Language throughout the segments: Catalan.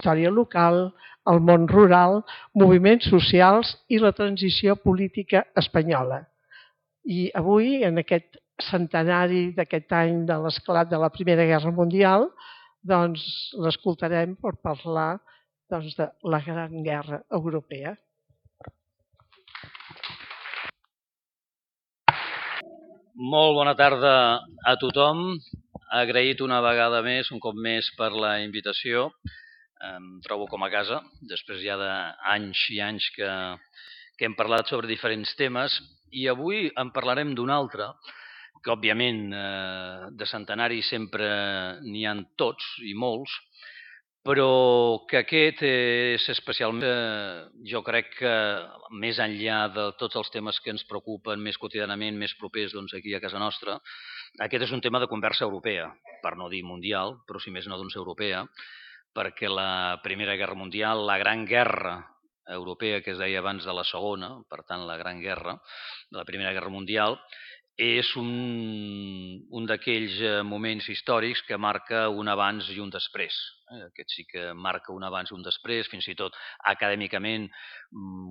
història local, el món rural, moviments socials i la transició política espanyola. I avui, en aquest centenari d'aquest any de l'esclat de la Primera Guerra Mundial, doncs l'escoltarem per parlar de la Gran Guerra Europea. Molt bona tarda a tothom. Agraït una vegada més, un cop més, per la invitació. Em trobo com a casa, després ja d'anys i anys que hem parlat sobre diferents temes, i avui en parlarem d'un altre, que òbviament de centenari sempre n'hi ha tots i molts, però que aquest és especialment, jo crec que més enllà de tots els temes que ens preocupen més quotidianament, més propers aquí a casa nostra, aquest és un tema de conversa europea, per no dir mundial, però si més no europea, perquè la Primera Guerra Mundial, la Gran Guerra Europea, que es deia abans de la Segona, per tant la Gran Guerra, de la Primera Guerra Mundial, és un d'aquells moments històrics que marca un abans i un després. Aquest sí que marca un abans i un després, fins i tot acadèmicament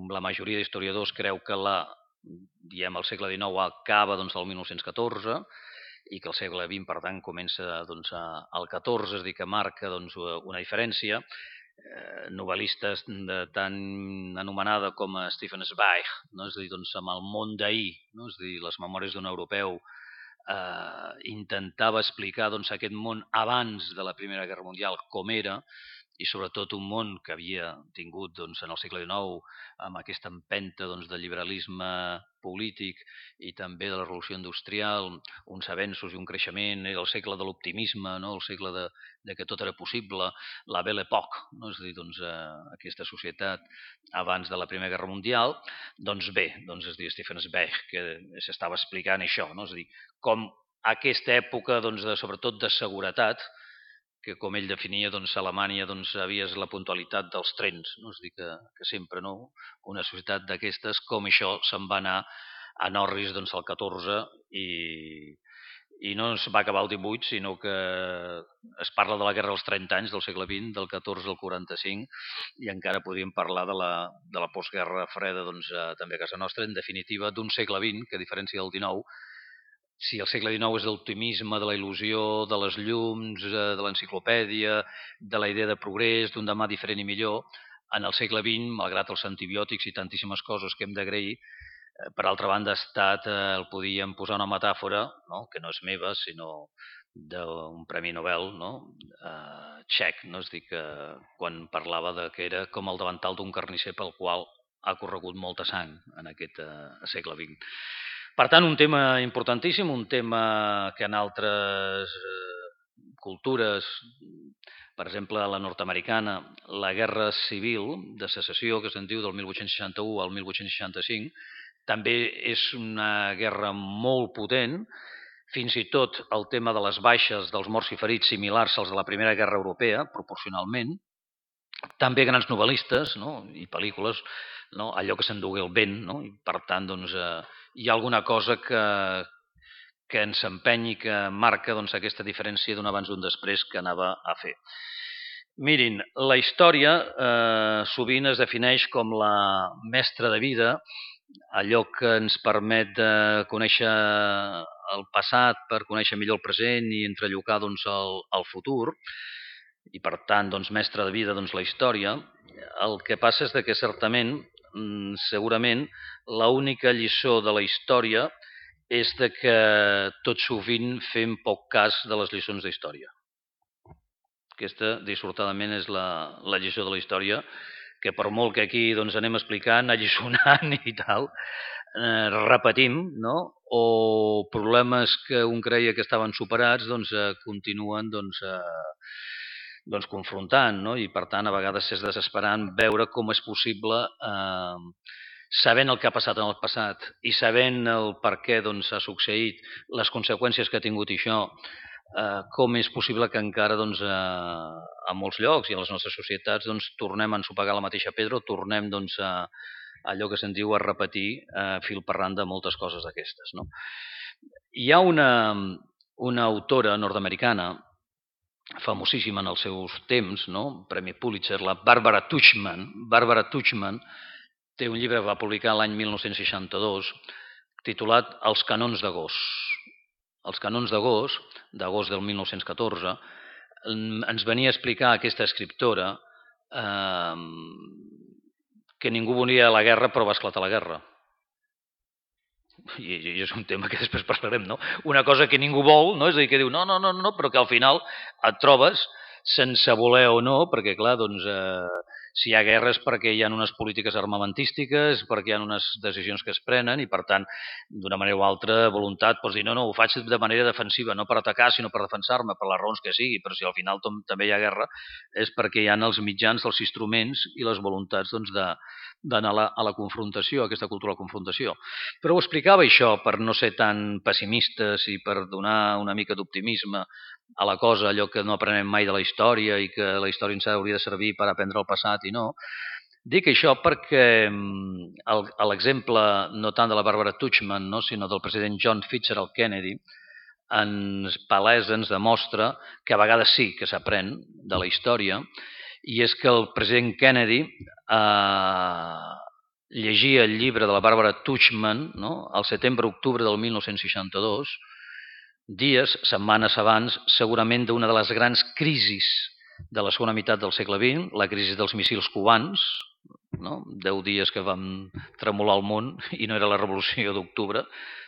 la majoria d'historiadors creu que el segle XIX acaba el 1914 i que el segle XX, per tant, comença al XIV, és a dir, que marca una diferència. Novel·listes tan anomenada com Stefan Zweig, és a dir, amb el món d'ahir, és a dir, les memòries d'un europeu, intentava explicar aquest món abans de la Primera Guerra Mundial com era, i sobretot un món que havia tingut en el segle XIX amb aquesta empenta de liberalisme polític i també de la revolució industrial, uns avenços i un creixement, era el segle de l'optimisme, el segle de que tot era possible, la Belle Époque, és a dir, aquesta societat abans de la Primera Guerra Mundial. Doncs bé, es diu Stefan Zweig, que s'estava explicant això, és a dir, com aquesta època, sobretot de seguretat, que com ell definia, Alemanya havia la puntualitat dels trens, és a dir, que sempre una societat d'aquestes, com això se'n va anar a Norris al 14 i no es va acabar el 18, sinó que es parla de la guerra dels 30 anys del segle XX, del 14 al 45, i encara podríem parlar de la postguerra freda també a casa nostra, en definitiva d'un segle XX que, a diferència del XIX, si el segle XIX és l'optimisme, de la il·lusió, de les llums, de l'enciclopèdia, de la idea de progrés, d'un demà diferent i millor, en el segle XX, malgrat els antibiòtics i tantíssimes coses que hem d'agrair, per altra banda, el podíem posar una metàfora, que no és meva, sinó d'un premi Nobel txec, és a dir, que quan parlava que era com el davantal d'un carnisser pel qual ha corregut molta sang en aquest segle XX. Per tant, un tema importantíssim, un tema que en altres cultures, per exemple, la nord-americana, la guerra civil de secessió, que se'n diu del 1861 al 1865, també és una guerra molt potent. Fins i tot el tema de les baixes, dels morts i ferits, similars als de la Primera Guerra Europea, proporcionalment. També grans novel·listes i pel·lícules, allò que s'endugué el vent, i per tant hi ha alguna cosa que ens empenyi, que marca aquesta diferència d'un abans i un després que anava a fer. Mirin, la història sovint es defineix com la mestra de vida, allò que ens permet conèixer el passat per conèixer millor el present i entrellocar el futur, i per tant, mestre de vida, la història. El que passa és que certament, segurament, l'única lliçó de la història és que tot sovint fem poc cas de les lliçons d'història. Aquesta, dissortadament, és la lliçó de la història, que per molt que aquí anem explicant, alliçonant i tal, repetim, o problemes que un creia que estaven superats continuen confrontant, i per tant a vegades és desesperant veure com és possible, sabent el que ha passat en el passat i sabent el per què ha succeït, les conseqüències que ha tingut això, com és possible que encara a molts llocs i a les nostres societats tornem a ensopegar la mateixa pedra o tornem a allò que se'n diu a repetir fil per randa moltes coses d'aquestes. Hi ha una autora nord-americana famosíssima en els seus temps, no? Premi Pulitzer, la Barbara Tuchman. Barbara Tuchman té un llibre que va publicar l'any 1962 titulat Els canons d'agost. Els canons d'agost del 1914, ens venia a explicar aquesta escriptora que ningú volia la guerra però va esclatar la guerra. I és un tema que després parlarem, no? Una cosa que ningú vol, no? És a dir, que diu no, però que al final et trobes sense voler o no, perquè clar, doncs si hi ha guerra és perquè hi ha unes polítiques armamentístiques, perquè hi ha unes decisions que es prenen i per tant, d'una manera o altra, voluntat, pots dir no, ho faig de manera defensiva, no per atacar, sinó per defensar-me, per les raons que sigui, però si al final també hi ha guerra és perquè hi ha els mitjans, els instruments i les voluntats doncs, d'anar a la confrontació, a aquesta cultura de la confrontació. Però ho explicava això per no ser tan pessimistes i per donar una mica d'optimisme a la cosa, allò que no aprenem mai de la història i que la història ens hauria de servir per aprendre el passat i no. Dic això perquè l'exemple no tant de la Barbara Tuchman, no, sinó del president John Fitzgerald Kennedy ens palesa, ens demostra que a vegades sí que s'aprèn de la història, i és que el president Kennedy llegia el llibre de la Barbara Tuchman, no, al setembre-octubre del 1962, dies, setmanes abans, segurament d'una de les grans crisis de la segona meitat del segle XX, la crisi dels missils cubans, no? 10 dies que vam tremolar el món i no era la revolució d'octubre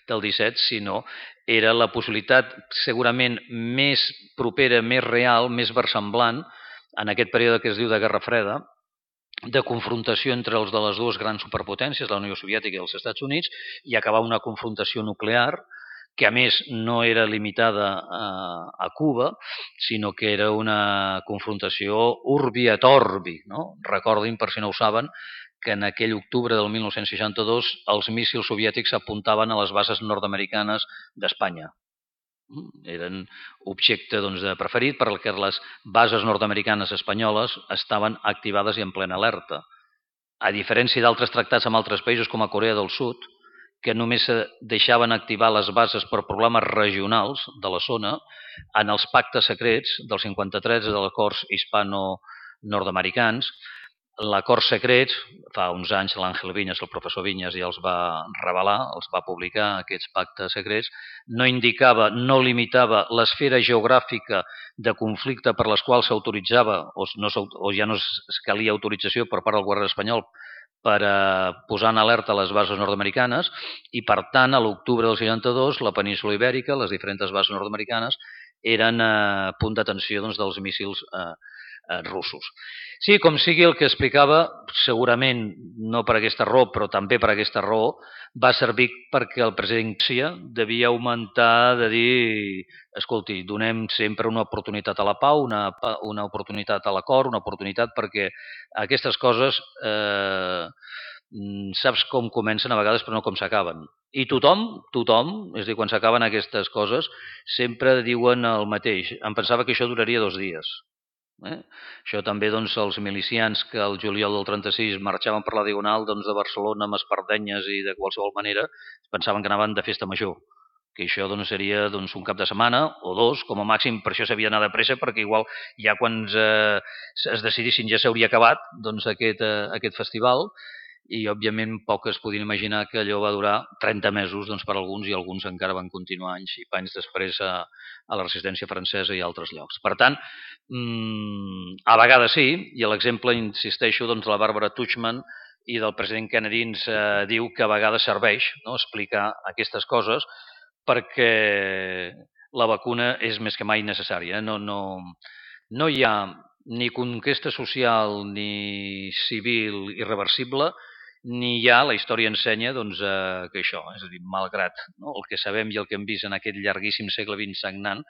del 17, sinó era la possibilitat segurament més propera, més real, més versemblant en aquest període que es diu de Guerra Freda, de confrontació entre els de les dues grans superpotències, la Unió Soviètica i els Estats Units, i acabar una confrontació nuclear que a més no era limitada a Cuba, sinó que era una confrontació urbi et orbi. No? Recordin, per si no ho saben, que en aquell octubre del 1962 els míssils soviètics apuntaven a les bases nord-americanes d'Espanya. Eren objecte doncs, preferit perquè les bases nord-americanes espanyoles estaven activades i en plena alerta. A diferència d'altres tractats amb altres països com a Corea del Sud, que només deixaven activar les bases per problemes regionals de la zona, en els pactes secrets del 53 de l'acords hispano-nord-americans, l'acord secret, fa uns anys l'Àngel Vinyes, el professor Vinyes, ja els va revelar, els va publicar, aquests pactes secrets, no indicava, no limitava l'esfera geogràfica de conflicte per les quals s'autoritzava o ja no es calia autorització per part del govern espanyol per posar en alerta les bases nord-americanes i, per tant, a l'octubre del 62, la península ibèrica, les diferents bases nord-americanes, eren punt d'atenció doncs, dels míssils russos. Sí, com sigui el que explicava, segurament no per aquesta raó, però també per aquesta raó, va servir perquè el president Xia devia augmentar de dir, escolti, donem sempre una oportunitat a la pau, una oportunitat a l'acord, una oportunitat perquè aquestes coses saps com comencen a vegades però no com s'acaben. I tothom, és a dir, quan s'acaben aquestes coses, sempre diuen el mateix. Em pensava que això duraria 2 dies. Això també doncs, els milicians que el juliol del 36 marxaven per la Diagonal doncs, de Barcelona amb espardenyes i de qualsevol manera pensaven que anaven de festa major, que això doncs, seria doncs, un cap de setmana o 2, com a màxim, per això s'havia d'anar de pressa, perquè igual ja quan es decidissin ja s'hauria acabat doncs, aquest festival, i òbviament poc es podien imaginar que allò va durar 30 mesos doncs, per alguns, i alguns encara van continuar anys i panys després a la resistència francesa i a altres llocs. Per tant, a vegades sí, i l'exemple, insisteixo, doncs, de la Barbara Tuchman i del president Kennedy ens diu que a vegades serveix, no?, explicar aquestes coses perquè la vacuna és més que mai necessària. No hi ha ni conquesta social ni civil irreversible, ni ja la història ensenya doncs, que això, és a dir, malgrat el que sabem i el que hem vist en aquest llarguíssim segle XX sagnant,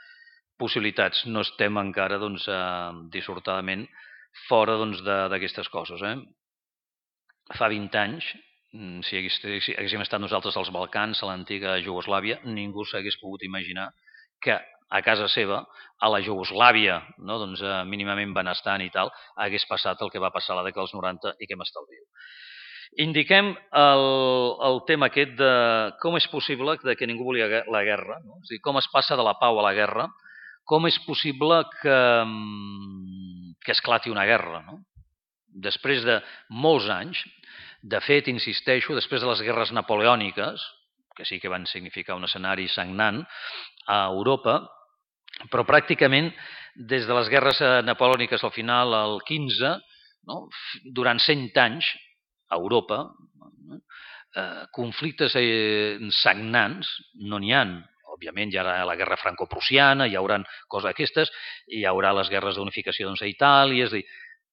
possibilitats no estem encara doncs, dissortadament fora doncs, d'aquestes coses. Fa 20 anys, si haguéssim estat nosaltres als Balcans, a l'antiga Jugoslàvia, ningú s'hagués pogut imaginar que a casa seva, a la Jugoslàvia, no, doncs, mínimament benestant i tal, hagués passat el que va passar a la dècada dels 90 i que m'estalvio. Indiquem el tema aquest de com és possible que ningú volia la guerra, no? És a dir, com es passa de la pau a la guerra, com és possible que esclati una guerra, no? Després de molts anys, de fet, insisteixo, després de les guerres napoleòniques, que sí que van significar un escenari sagnant a Europa, però pràcticament des de les guerres napoleòniques al final, al 15, no? Durant 100 anys, a Europa, conflictes sagnants no n'hi ha. Òbviament hi haurà la guerra franco-prussiana, hi haurà coses aquestes, hi haurà les guerres d'unificació a Itàlia,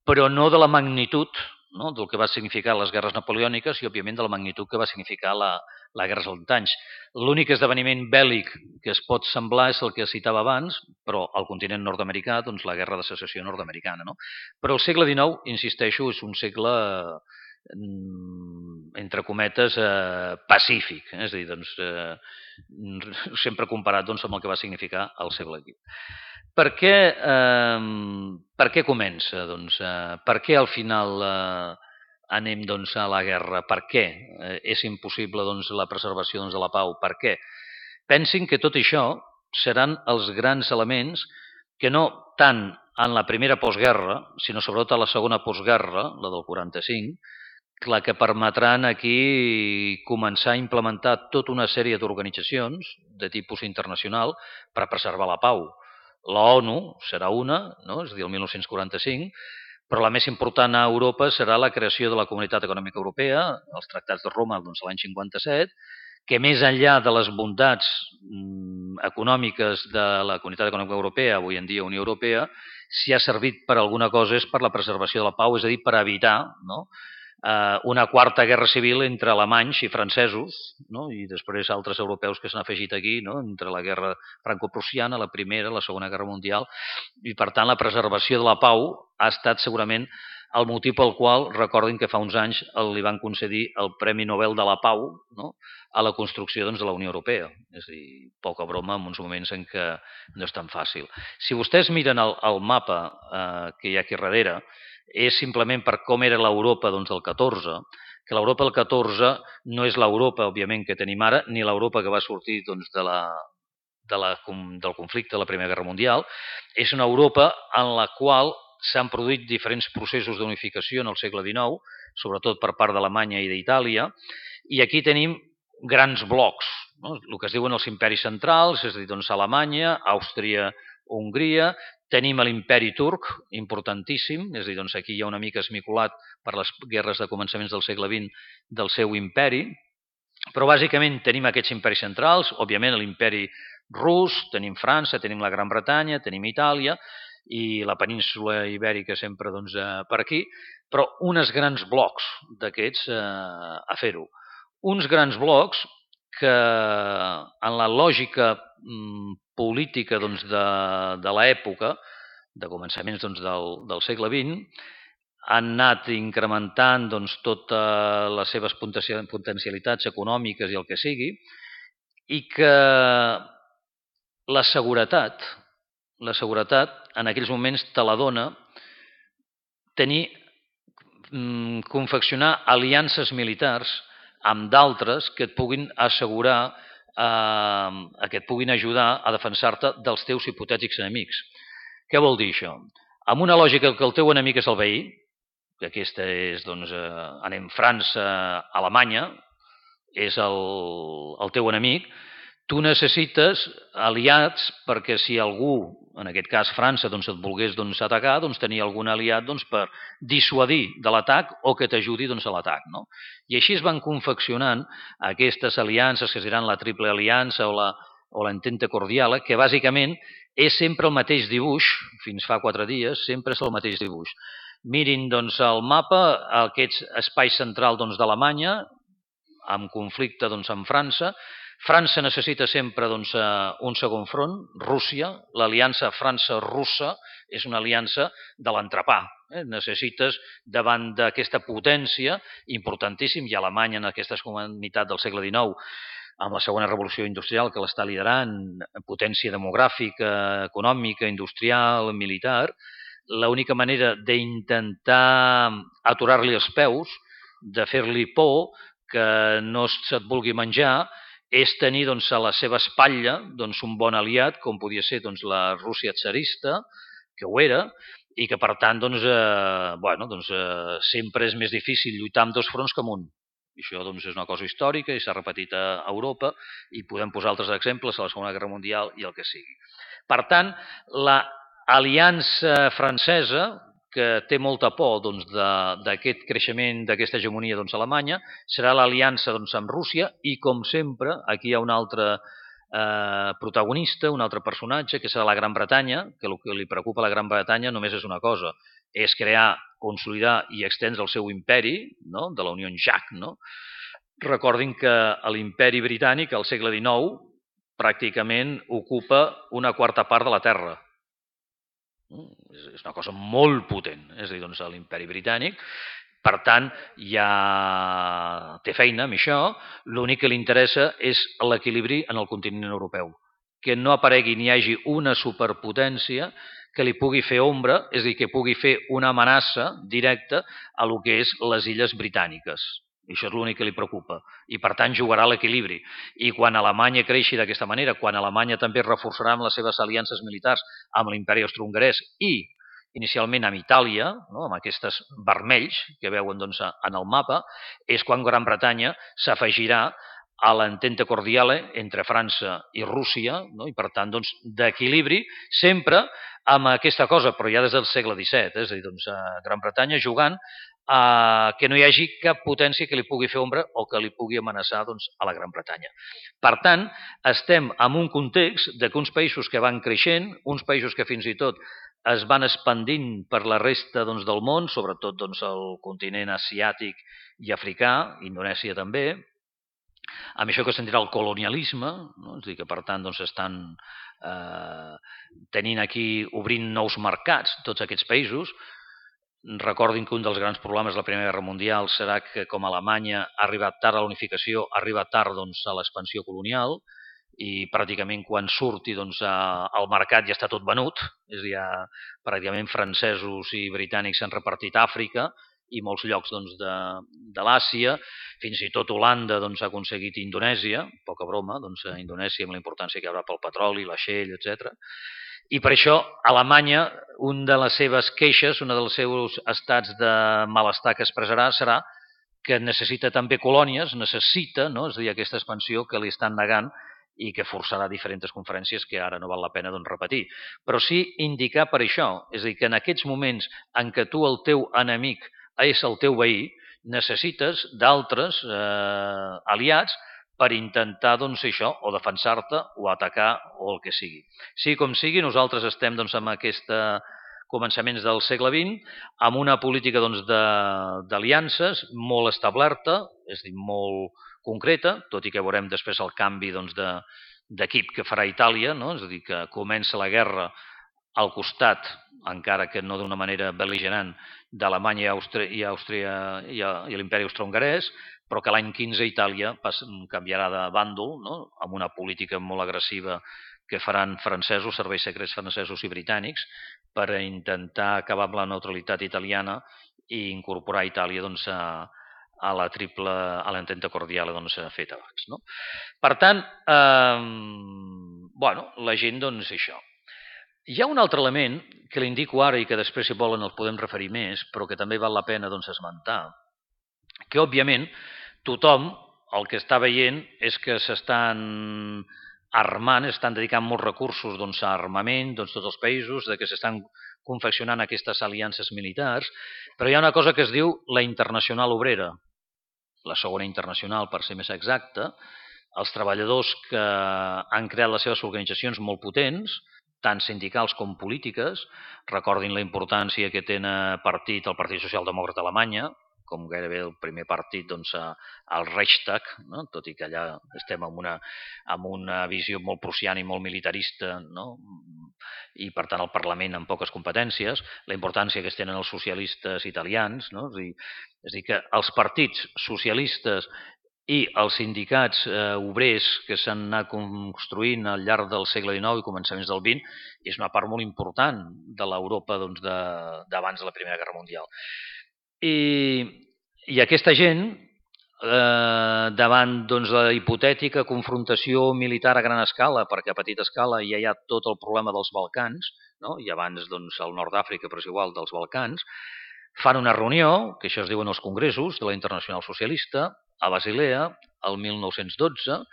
però no de la magnitud, no? Del que va significar les guerres napoleòniques i, òbviament, de la magnitud que va significar la guerra dels 100 anys. L'únic esdeveniment bèl·lic que es pot semblar és el que citava abans, però al continent nord-americà, doncs la guerra de secessió nord-americana. No? Però el segle XIX, insisteixo, és un segle entre cometes, pacífic, és a dir, doncs, sempre comparat doncs, amb el que va significar el segle XX. Per què comença? Doncs, per què al final anem doncs, a la guerra? Per què és impossible doncs, la preservació doncs, de la pau? Per què? Pensin que tot això seran els grans elements que no tant en la primera postguerra, sinó sobretot a la segona postguerra, la del 45, la que permetran aquí començar a implementar tota una sèrie d'organitzacions de tipus internacional per preservar la pau. La ONU serà una, no? És a dir, el 1945, però la més important a Europa serà la creació de la Comunitat Econòmica Europea, els tractats de Roma doncs, l'any 57, que més enllà de les bondats econòmiques de la Comunitat Econòmica Europea, avui en dia Unió Europea, si ha servit per alguna cosa és per la preservació de la pau, és a dir, per evitar, no? Una quarta guerra civil entre alemanys i francesos, no? I després altres europeus que s'han afegit aquí, no? Entre la guerra franco-prussiana, la primera, la segona guerra mundial, i per tant la preservació de la pau ha estat segurament el motiu pel qual, recordin que fa uns anys li van concedir el Premi Nobel de la Pau, no? A la construcció doncs, de la Unió Europea. És a dir, poca broma en uns moments en què no és tan fàcil. Si vostès miren el mapa que hi ha aquí darrere, és simplement per com era l'Europa doncs, del 14, que l'Europa del 14 no és l'Europa, òbviament, que tenim ara, ni l'Europa que va sortir doncs, del conflicte de la Primera Guerra Mundial. És una Europa en la qual s'han produït diferents processos d'unificació en el segle XIX, sobretot per part d'Alemanya i d'Itàlia, i aquí tenim grans blocs, no? El que es diuen els imperis centrals, és a dir, doncs, Alemanya, Àustria, Hongria, tenim l'imperi turc, importantíssim, és a dir, doncs aquí hi ha una mica esmicolat per les guerres de començaments del segle XX del seu imperi, però bàsicament tenim aquests imperis centrals, òbviament l'imperi rus, tenim França, tenim la Gran Bretanya, tenim Itàlia i la península ibèrica sempre doncs, per aquí, però uns grans blocs d'aquests a fer-ho. Uns grans blocs que en la lògica política doncs, de l'època, de començaments doncs, del segle XX, han anat incrementant doncs, totes les seves potencialitats econòmiques i el que sigui, i que la seguretat en aquells moments te la dona confeccionar aliances militars amb d'altres que et puguin assegurar, que et puguin ajudar a defensar-te dels teus hipotètics enemics. Què vol dir això? Amb una lògica que el teu enemic és el veí, que aquesta és, doncs, anem França, Alemanya, és el teu enemic, tu necessites aliats perquè si algú, en aquest cas França, doncs et volgués doncs, atacar, doncs tenir algun aliat doncs, per dissuadir de l'atac o que t'ajudi doncs, a l'atac. No? I així es van confeccionant aquestes aliances que seran la triple aliança o l'entente cordiala, que bàsicament és sempre el mateix dibuix, fins fa 4 dies, sempre és el mateix dibuix. Mirin doncs, el mapa, aquest espai central doncs, d'Alemanya, amb conflicte doncs, amb França. França necessita sempre doncs, un segon front, Rússia. L'aliança França-Russa és una aliança de l'entrepà. Necessites, davant d'aquesta potència, importantíssim, i Alemanya en aquesta comunitat del segle XIX, amb la segona revolució industrial que l'està liderant, potència demogràfica, econòmica, industrial, militar, l'única manera d'intentar aturar-li els peus, de fer-li por, que no se't vulgui menjar, és tenir doncs, a la seva espatlla doncs, un bon aliat, com podia ser doncs, la Rússia tsarista, que ho era, i que per tant sempre és més difícil lluitar amb dos fronts que amb un. I això doncs, és una cosa històrica i s'ha repetit a Europa i podem posar altres exemples a la Segona Guerra Mundial i el que sigui. Per tant, l'aliança francesa, que té molta por doncs, d'aquest creixement, d'aquesta hegemonia doncs, alemanya, serà l'aliança doncs, amb Rússia i, com sempre, aquí hi ha un altre protagonista, un altre personatge, que serà la Gran Bretanya, que el que li preocupa a la Gran Bretanya només és una cosa, és crear, consolidar i extendre el seu imperi, no? De la Unió Jack. No? Recordin que l'imperi britànic, al segle XIX, pràcticament ocupa una quarta part de la Terra. És una cosa molt potent, és a dir, doncs, l'imperi britànic. Per tant, ja té feina amb això, l'únic que li interessa és l'equilibri en el continent europeu, que no aparegui ni hi hagi una superpotència que li pugui fer ombra, és a dir, que pugui fer una amenaça directa a lo que és les illes britàniques. I això és l'únic que li preocupa. I, per tant, jugarà a l'equilibri. I quan Alemanya creixi d'aquesta manera, quan Alemanya també reforçarà amb les seves aliances militars amb l'imperi austrohongarès i inicialment amb Itàlia, no? Amb aquests vermells que veuen doncs, en el mapa, és quan Gran Bretanya s'afegirà a l'entente cordiale entre França i Rússia, no? I per tant, doncs, d'equilibri, sempre amb aquesta cosa, però ja des del segle XVII, és a dir, doncs, Gran Bretanya jugant a que no hi hagi cap potència que li pugui fer ombra o que li pugui amenaçar doncs, a la Gran Bretanya. Per tant, estem en un context de que uns països que van creixent, uns països que fins i tot es van expandint per la resta doncs, del món, sobretot doncs, el continent asiàtic i africà, Indonèsia també, amb això que se'n dirà el colonialisme, no? És a dir, que per tant doncs, estan tenint aquí, obrint nous mercats, tots aquests països. Recordin que un dels grans problemes de la Primera Guerra Mundial serà que, com Alemanya ha arribat tard a la unificació, arriba tard doncs, a l'expansió colonial, i pràcticament quan surti doncs, al mercat ja està tot venut, és a dir, pràcticament francesos i britànics s'han repartit a Àfrica i molts llocs doncs, de l'Àsia, fins i tot Holanda doncs, ha aconseguit Indonèsia, poca broma, doncs, Indonèsia amb la importància que hi haurà pel petroli, la Shell, etc. I per això Alemanya, una de les seves queixes, un dels seus estats de malestar que expressarà serà que necessita també colònies, necessita, no? És a dir, aquesta expansió que li estan negant i que forçarà diferents conferències que ara no val la pena doncs, repetir. Però sí indicar per això, és a dir, que en aquests moments en què tu el teu enemic és el teu veí, necessites d'altres aliats per intentar doncs, això, o defensar-te o atacar o el que sigui. Sigui com sigui, nosaltres estem doncs, amb aquesta començaments del segle XX, amb una política doncs, d'aliances molt establerta, és a dir, molt concreta, tot i que veurem després el canvi doncs, d'equip que farà Itàlia, no? És a dir, que comença la guerra al costat, encara que no d'una manera bel·ligerant, d'Alemanya i Àustria i l'imperi austrohongarès, però que l'any 15 Itàlia canviarà de bàndol, no? Amb una política molt agressiva que faran francesos, serveis secrets francesos i britànics, per intentar acabar amb la neutralitat italiana i incorporar Itàlia doncs, a l'entente cordiale doncs, feta abans. No? Per tant, la gent, doncs, això. Hi ha un altre element que l'indico ara i que després, si volen, el podem referir més, però que també val la pena doncs, esmentar, que, òbviament, tothom el que està veient és que s'estan armant, estan dedicant molts recursos doncs, a armament, doncs, tots els països, de que s'estan confeccionant aquestes aliances militars, però hi ha una cosa que es diu la Internacional Obrera, la segona internacional, per ser més exacta, els treballadors que han creat les seves organitzacions molt potents, tant sindicals com polítiques, recordin la importància que té el Partit Socialdemòcrata Alemanya, com gairebé el primer partit doncs, al Reichstag, no? Tot i que allà estem amb una visió molt prussiana i molt militarista, no? I per tant el Parlament amb poques competències, la importància que es tenen els socialistes italians, no? És a dir, que els partits socialistes i els sindicats obrers que s'han anat construint al llarg del segle XIX i començaments del XX és una part molt important de l'Europa doncs, d'abans de la Primera Guerra Mundial. I aquesta gent davant la hipotètica confrontació militar a gran escala, perquè a petita escala ja hi ha tot el problema dels Balcans, no? I abans al nord d'Àfrica, però és igual, dels Balcans, fan una reunió, que això es diuen els congressos de la Internacional Socialista, a Basilea, el 1912,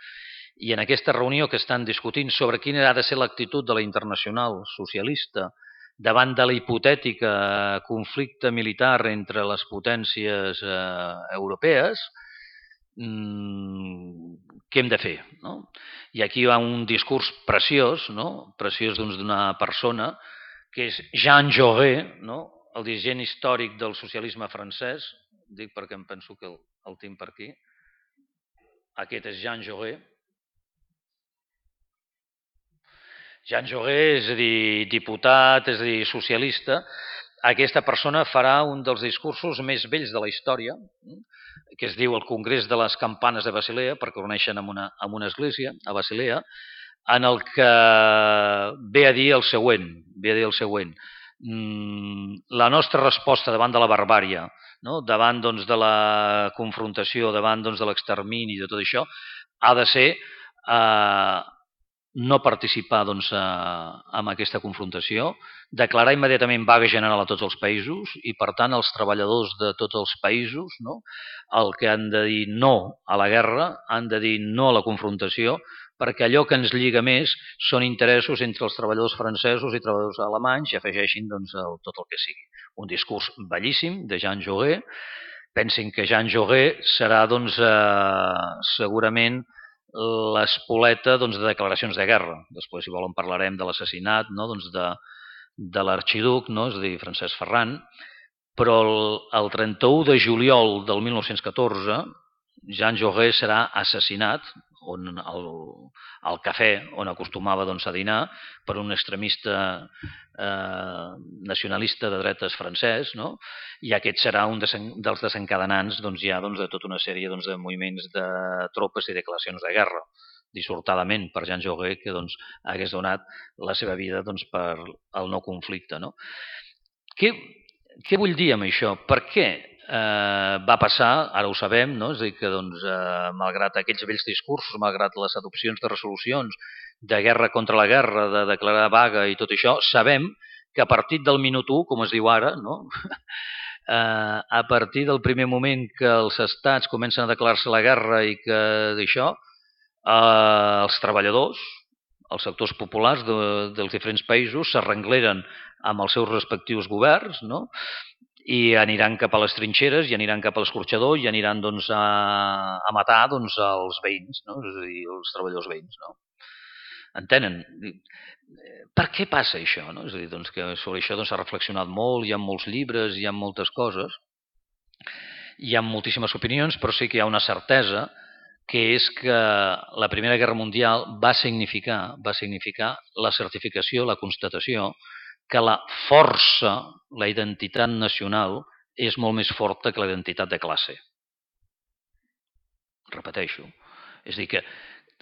i en aquesta reunió que estan discutint sobre quina ha de ser l'actitud de la Internacional Socialista davant de la hipotètica conflicte militar entre les potències europees, què hem de fer? No? I aquí hi ha un discurs preciós, no? Preciós d'una persona, que és Jean Jaurès, no? El dirigent històric del socialisme francès, dic perquè em penso que el tinc per aquí. Aquest és Jean Jaurès. Jean Jaurès, és a dir, diputat, és a dir, socialista. Aquesta persona farà un dels discursos més vells de la història, que es diu el Congrés de les Campanes de Basilea, perquè ho uneixen amb una església, a Basilea, en el que ve a dir el següent. La nostra resposta davant de la barbària, no? Davant de la confrontació, davant de l'extermini, de tot això, ha de ser no participar en aquesta confrontació, declarar immediatament vaga general a tots els països i, per tant, els treballadors de tots els països, no? El que han de dir no a la guerra, han de dir no a la confrontació, perquè allò que ens lliga més són interessos entre els treballadors francesos i treballadors alemanys i afegeixin tot el que sigui. Un discurs bellíssim de Jean Jaurès. Pensin que Jean Jaurès serà segurament l'espoleta de declaracions de guerra. Després, si volen, parlarem de l'assassinat, no? De l'arxiduc, no? És a dir, Francesc Ferran, però el 31 de juliol del 1914 Jean Jaurès serà assassinat al cafè on acostumava a dinar per un extremista nacionalista de dretes francès, no? I aquest serà un dels desencadenants de tota una sèrie de moviments de tropes i declaracions de guerra, dissortadament per Jean Jaurès, que hagués donat la seva vida per al no conflicte. No? Què vull dir amb això? Per què va passar, ara ho sabem, no? És a dir, que malgrat aquells vells discursos, malgrat les adopcions de resolucions de guerra contra la guerra, de declarar vaga i tot això, sabem que a partir del minut 1, com es diu ara, no? A partir del primer moment que els estats comencen a declarar-se la guerra i que d'això, els treballadors, els sectors populars dels diferents països s'arrengleren amb els seus respectius governs, no? I aniran cap a les trinxeres, i aniran cap a l'escorxador, i aniran a matar els veïns, no? És a dir, els treballadors veïns. No? Entenen? Per què passa això? No? És a dir, que sobre això s'ha reflexionat molt, hi ha molts llibres, hi ha moltes coses, hi ha moltíssimes opinions, però sí que hi ha una certesa, que és que la Primera Guerra Mundial va significar la certificació, la constatació que la força, la identitat nacional, és molt més forta que la identitat de classe. Repeteixo. És a dir, que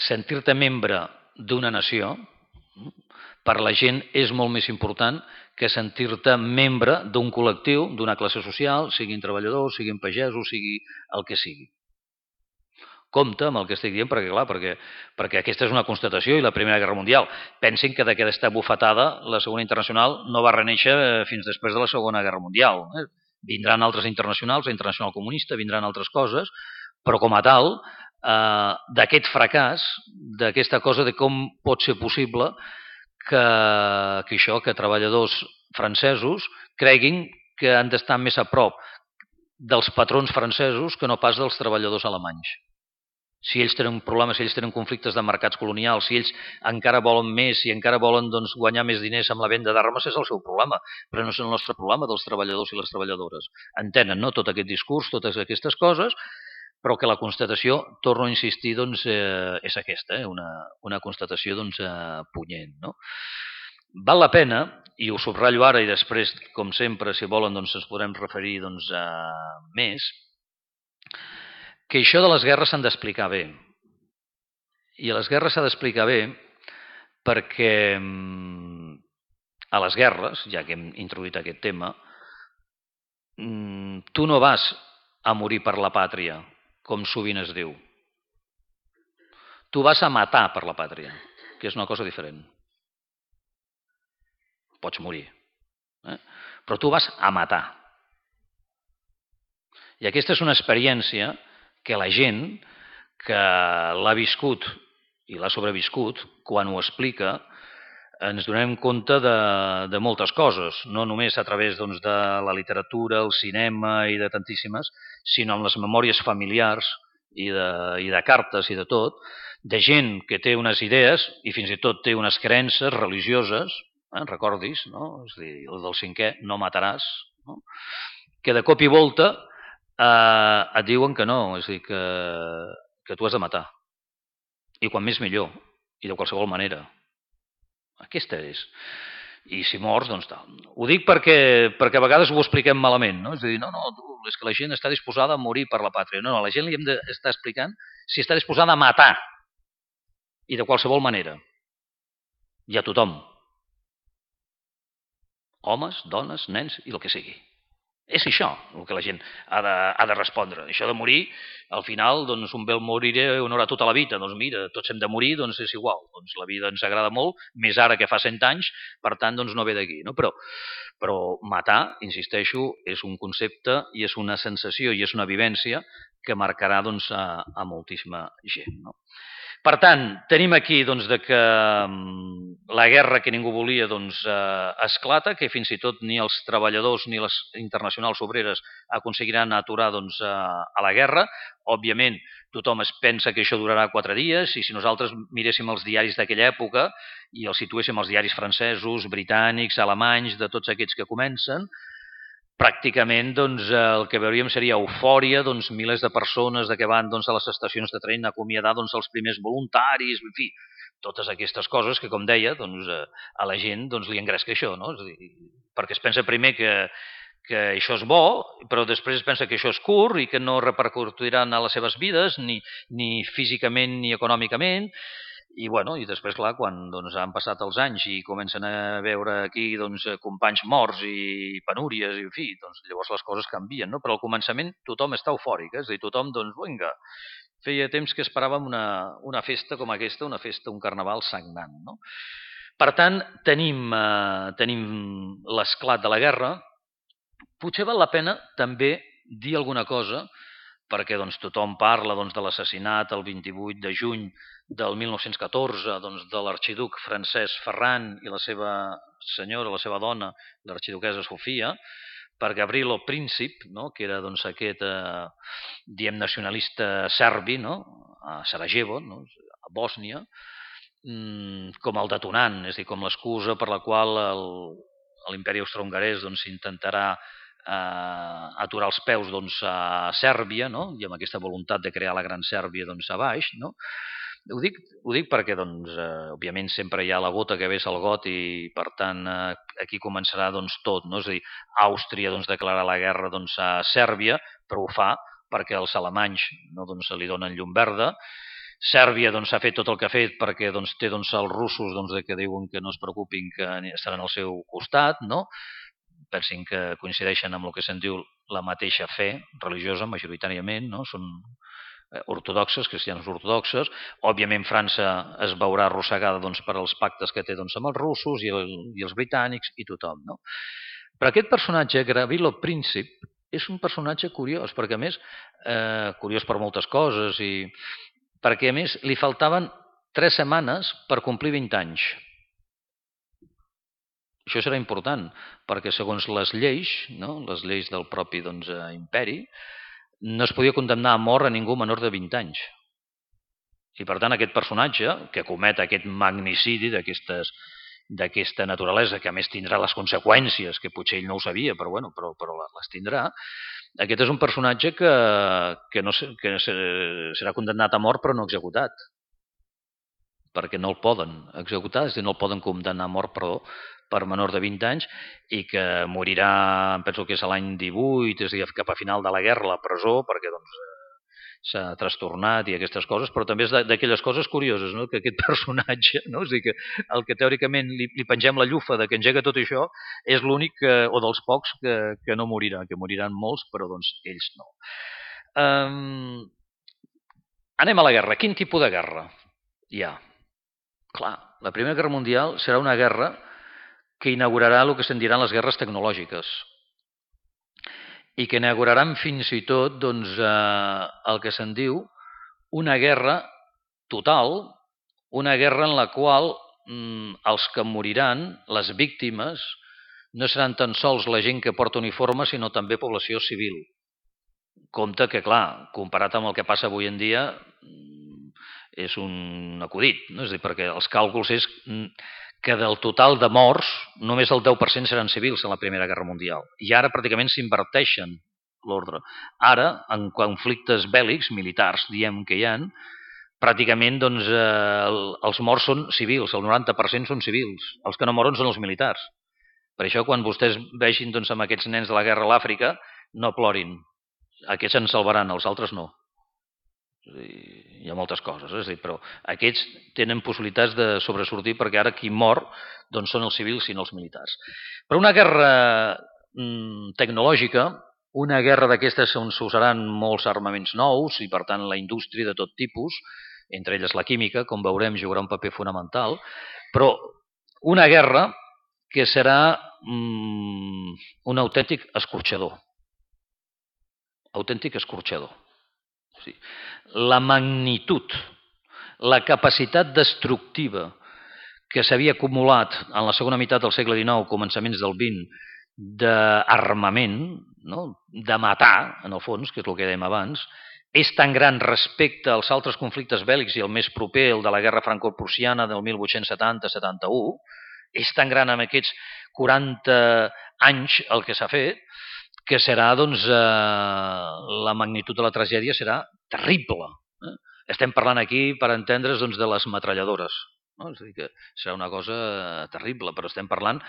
sentir-te membre d'una nació, per la gent és molt més important que sentir-te membre d'un col·lectiu, d'una classe social, siguin treballadors, siguin pagesos, sigui el que sigui. Compte amb el que estic dient, perquè, clar, perquè aquesta és una constatació i la Primera Guerra Mundial. Pensin que d'aquesta bufetada la Segona Internacional no va renéixer fins després de la Segona Guerra Mundial. Vindran altres internacionals, la Internacional Comunista, vindran altres coses, però com a tal, d'aquest fracàs, d'aquesta cosa de com pot ser possible que treballadors francesos creguin que han d'estar més a prop dels patrons francesos que no pas dels treballadors alemanys. Si ells tenen problemes, si ells tenen conflictes de mercats colonials, si ells encara volen més, si encara volen guanyar més diners amb la venda d'armes, és el seu problema, però no és el nostre problema dels treballadors i les treballadores. Entenen, no?, tot aquest discurs, totes aquestes coses, però que la constatació, torno a insistir, és aquesta, una constatació punyent. No? Val la pena, i ho subratllo ara i després, com sempre, si volen, ens podrem referir més, que això de les guerres s'han d'explicar bé. I a les guerres s'ha d'explicar bé perquè a les guerres, ja que hem introduït aquest tema, tu no vas a morir per la pàtria, com sovint es diu. Tu vas a matar per la pàtria, que és una cosa diferent. Pots morir, però tu vas a matar. I aquesta és una experiència que la gent que l'ha viscut i l'ha sobreviscut, quan ho explica, ens donem compte de moltes coses, no només a través doncs, de la literatura, el cinema i de tantíssimes, sinó amb les memòries familiars i de cartes i de tot, de gent que té unes idees i fins i tot té unes creences religioses, recordis, no? És a dir, el del 5è, no mataràs, no? Que de cop i volta et diuen que no, és a dir, que tu has de matar. I quan més millor, i de qualsevol manera. Aquesta és. I si mors, doncs tal. Ho dic perquè a vegades ho expliquem malament, no? És a dir, no, és que la gent està disposada a morir per la pàtria. No, la gent li hem d'estar explicant si està disposada a matar. I de qualsevol manera. I a tothom. Homes, dones, nens i el que sigui. És això el que la gent ha de respondre. Això de morir, al final, doncs un bé moriré on haurà tota la vida. Doncs mira, tots hem de morir, doncs és igual. Doncs la vida ens agrada molt, més ara que fa 100 anys, per tant, doncs no ve d'aquí. No? Però matar, insisteixo, és un concepte i és una sensació i és una vivència que marcarà doncs, a moltíssima gent. No? Per tant, tenim aquí doncs, que la guerra que ningú volia doncs, esclata, que fins i tot ni els treballadors ni les internacionals obreres aconseguiran aturar doncs, a la guerra. Òbviament, tothom es pensa que això durarà 4 dies i si nosaltres miréssim els diaris d'aquella època i els situéssim els diaris francesos, britànics, alemanys, de tots aquests que comencen, pràcticament doncs, el que veuríem seria eufòria, doncs, milers de persones que van doncs, a les estacions de tren a acomiadar doncs, els primers voluntaris, en fi, totes aquestes coses que, com deia, doncs, a la gent doncs, li engresca això, no? És a dir, perquè es pensa primer que això és bo, però després es pensa que això és curt i que no repercutiran a les seves vides, ni físicament ni econòmicament. I, bueno, i després, clar, quan doncs, han passat els anys i comencen a veure aquí doncs, companys morts i penúries, i en fi, doncs, llavors les coses canvien, no? Però al començament tothom està eufòric, és a dir, tothom, doncs, vinga, feia temps que esperàvem una festa com aquesta, una festa, un carnaval sagnant, no? Per tant, tenim l'esclat de la guerra. Potser val la pena també dir alguna cosa, perquè doncs, tothom parla doncs, de l'assassinat el 28 de juny del 1914 doncs, de l'arxiduc Francesc Ferran i la seva senyora, la seva dona, l'arxiduquesa Sofia, per Gavrilo Princip, no? Que era doncs, aquest diem nacionalista serbi, no? A Sarajevo, no? A Bòsnia, com el detonant, és a dir, com l'excusa per la qual l'imperi austrohongarès doncs, intentarà aturar els peus doncs, a Sèrbia, no? I amb aquesta voluntat de crear la Gran Sèrbia doncs, a baix. No? Ho dic perquè, doncs, òbviament, sempre hi ha la gota que vessa el got i, per tant, aquí començarà doncs, tot. No? És a dir, Àustria doncs, declara la guerra doncs, a Sèrbia, però ho fa perquè els alemanys no, doncs, li donen llum verda. Sèrbia doncs, ha fet tot el que ha fet perquè doncs, té doncs, els russos doncs, que diuen que no es preocupin, que estaran al seu costat, no? Pensin que coincideixen amb el que se'n diu la mateixa fe religiosa, majoritàriament, no? Són ortodoxes, cristians ortodoxes. Òbviament França es veurà arrossegada doncs, per als pactes que té doncs, amb els russos i els britànics i tothom. No? Però aquest personatge, Gavrilo Princip, és un personatge curiós, perquè a més, curiós per moltes coses, i perquè a més li faltaven 3 setmanes per complir 20 anys. Això serà important, perquè segons les lleis, no? Les lleis del propi doncs, imperi, no es podia condemnar a mort a ningú menor de 20 anys. I per tant aquest personatge, que comet aquest magnicidi d'aquesta naturalesa, que a més tindrà les conseqüències, que potser ell no ho sabia, però les tindrà, aquest és un personatge que serà condemnat a mort però no executat. Perquè no el poden executar, és a dir, no el poden condemnar a mort, per menor de 20 anys i que morirà, penso que és l'any 18, és a dir, cap a final de la guerra a la presó, perquè doncs, s'ha trastornat i aquestes coses, però també és d'aquelles coses curioses, no? Que aquest personatge, no? És a dir, que el que teòricament li pengem la llufa de que engega tot això, és l'únic, o dels pocs, que no morirà, que moriran molts, però doncs ells no. Anem a la guerra. Quin tipus de guerra hi ha? Clar, la Primera Guerra Mundial serà una guerra que inaugurarà el que se'n diran les guerres tecnològiques i que inauguraran fins i tot el que se'n diu una guerra total, una guerra en la qual els que moriran, les víctimes, no seran tan sols la gent que porta uniforme, sinó també població civil. Compte que, clar, comparat amb el que passa avui en dia, és un acudit, no? És a dir, perquè els càlculs és que del total de morts, només el 10% seran civils en la Primera Guerra Mundial. I ara pràcticament s'inverteixen l'ordre. Ara, en conflictes bèl·lics, militars, diem que hi ha, pràcticament els morts són civils, el 90% són civils. Els que no moren són els militars. Per això, quan vostès vegin amb aquests nens de la guerra a l'Àfrica, no plorin. Aquests en salvaran, els altres no. Hi ha moltes coses, és a dir, però aquests tenen possibilitats de sobresortir perquè ara qui mor són els civils i no els militars. Però una guerra tecnològica, una guerra d'aquestes on s'usaran molts armaments nous i per tant la indústria de tot tipus, entre elles la química, com veurem, jugarà un paper fonamental, però una guerra que serà un autèntic escorxador. Autèntic escorxador. Sí. La magnitud, la capacitat destructiva que s'havia acumulat en la segona meitat del segle XIX, començaments del XX, d'armament, no? De matar, en el fons, que és el que dèiem abans, és tan gran respecte als altres conflictes bèl·lics i el més proper, el de la guerra franco-prussiana del 1870-71, és tan gran amb aquests 40 anys el que s'ha fet, que serà, la magnitud de la tragèdia serà terrible. Estem parlant aquí, per entendre's, de les metralladores. No? És a dir, que serà una cosa terrible, però estem parlant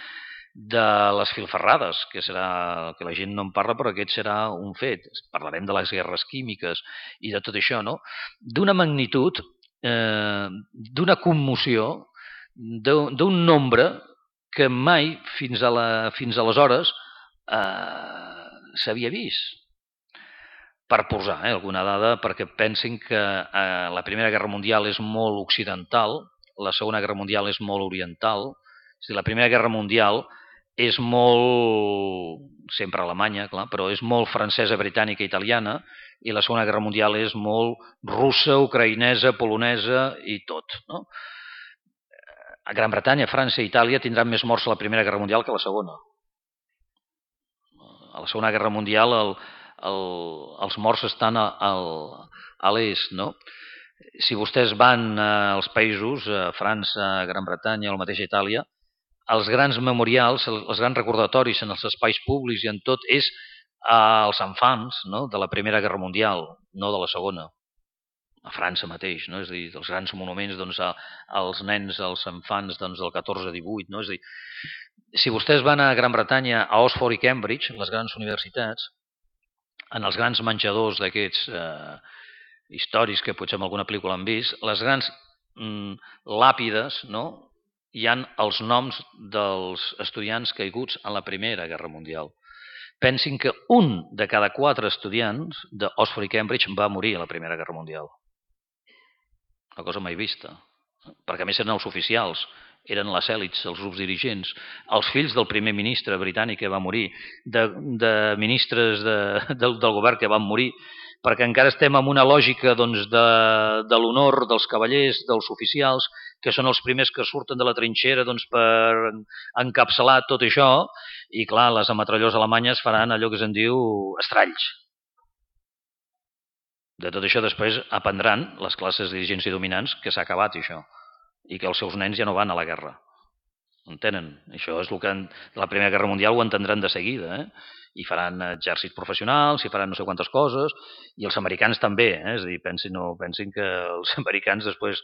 de les filferrades, que serà que la gent no en parla, però aquest serà un fet. Parlarem de les guerres químiques i de tot això, no? D'una magnitud, d'una commoció, d'un nombre que mai fins aleshores s'havia vist. Per posar alguna dada, perquè pensin que la Primera Guerra Mundial és molt occidental, la Segona Guerra Mundial és molt oriental. És a dir, la Primera Guerra Mundial és molt, sempre Alemanya, clar, però és molt francesa, britànica, italiana, i la Segona Guerra Mundial és molt russa, ucraïnesa, polonesa i tot. No? A Gran Bretanya, França i Itàlia tindran més morts a la Primera Guerra Mundial que a la Segona. A la Segona Guerra Mundial els morts estan a l'est, no? Si vostès van als països, a França, a Gran Bretanya o la mateixa Itàlia, els grans memorials, els grans recordatoris en els espais públics i en tot és als enfants, no? De la Primera Guerra Mundial, no de la Segona. A França mateix, no? És a dir, els grans monuments als nens, als infants del 14-18, no? És a dir, si vostès van a Gran Bretanya, a Oxford i Cambridge, les grans universitats, en els grans menjadors d'aquests històrics que potser en alguna pel·lícula han vist, les grans làpides, no? Hi ha els noms dels estudiants caiguts en la Primera Guerra Mundial. Pensin que un de cada 4 estudiants d'Oxford i Cambridge va morir a la Primera Guerra Mundial. Una cosa mai vista. Perquè a més eren els oficials, eren les èlits, els grups dirigents, els fills del primer ministre britànic que va morir, de ministres del govern que van morir, perquè encara estem en una lògica de l'honor dels cavallers, dels oficials, que són els primers que surten de la trinxera per encapçalar tot això, i clar, les ametrallors alemanyes faran allò que se'n diu estralls. De tot això després aprendran les classes dirigents i dominants que s'ha acabat això i que els seus nens ja no van a la guerra. Entenen? Això és el que la Primera Guerra Mundial ho entendran de seguida, i faran exèrcits professionals, i faran no sé quantes coses, i els americans també, és a dir, pensin que els americans després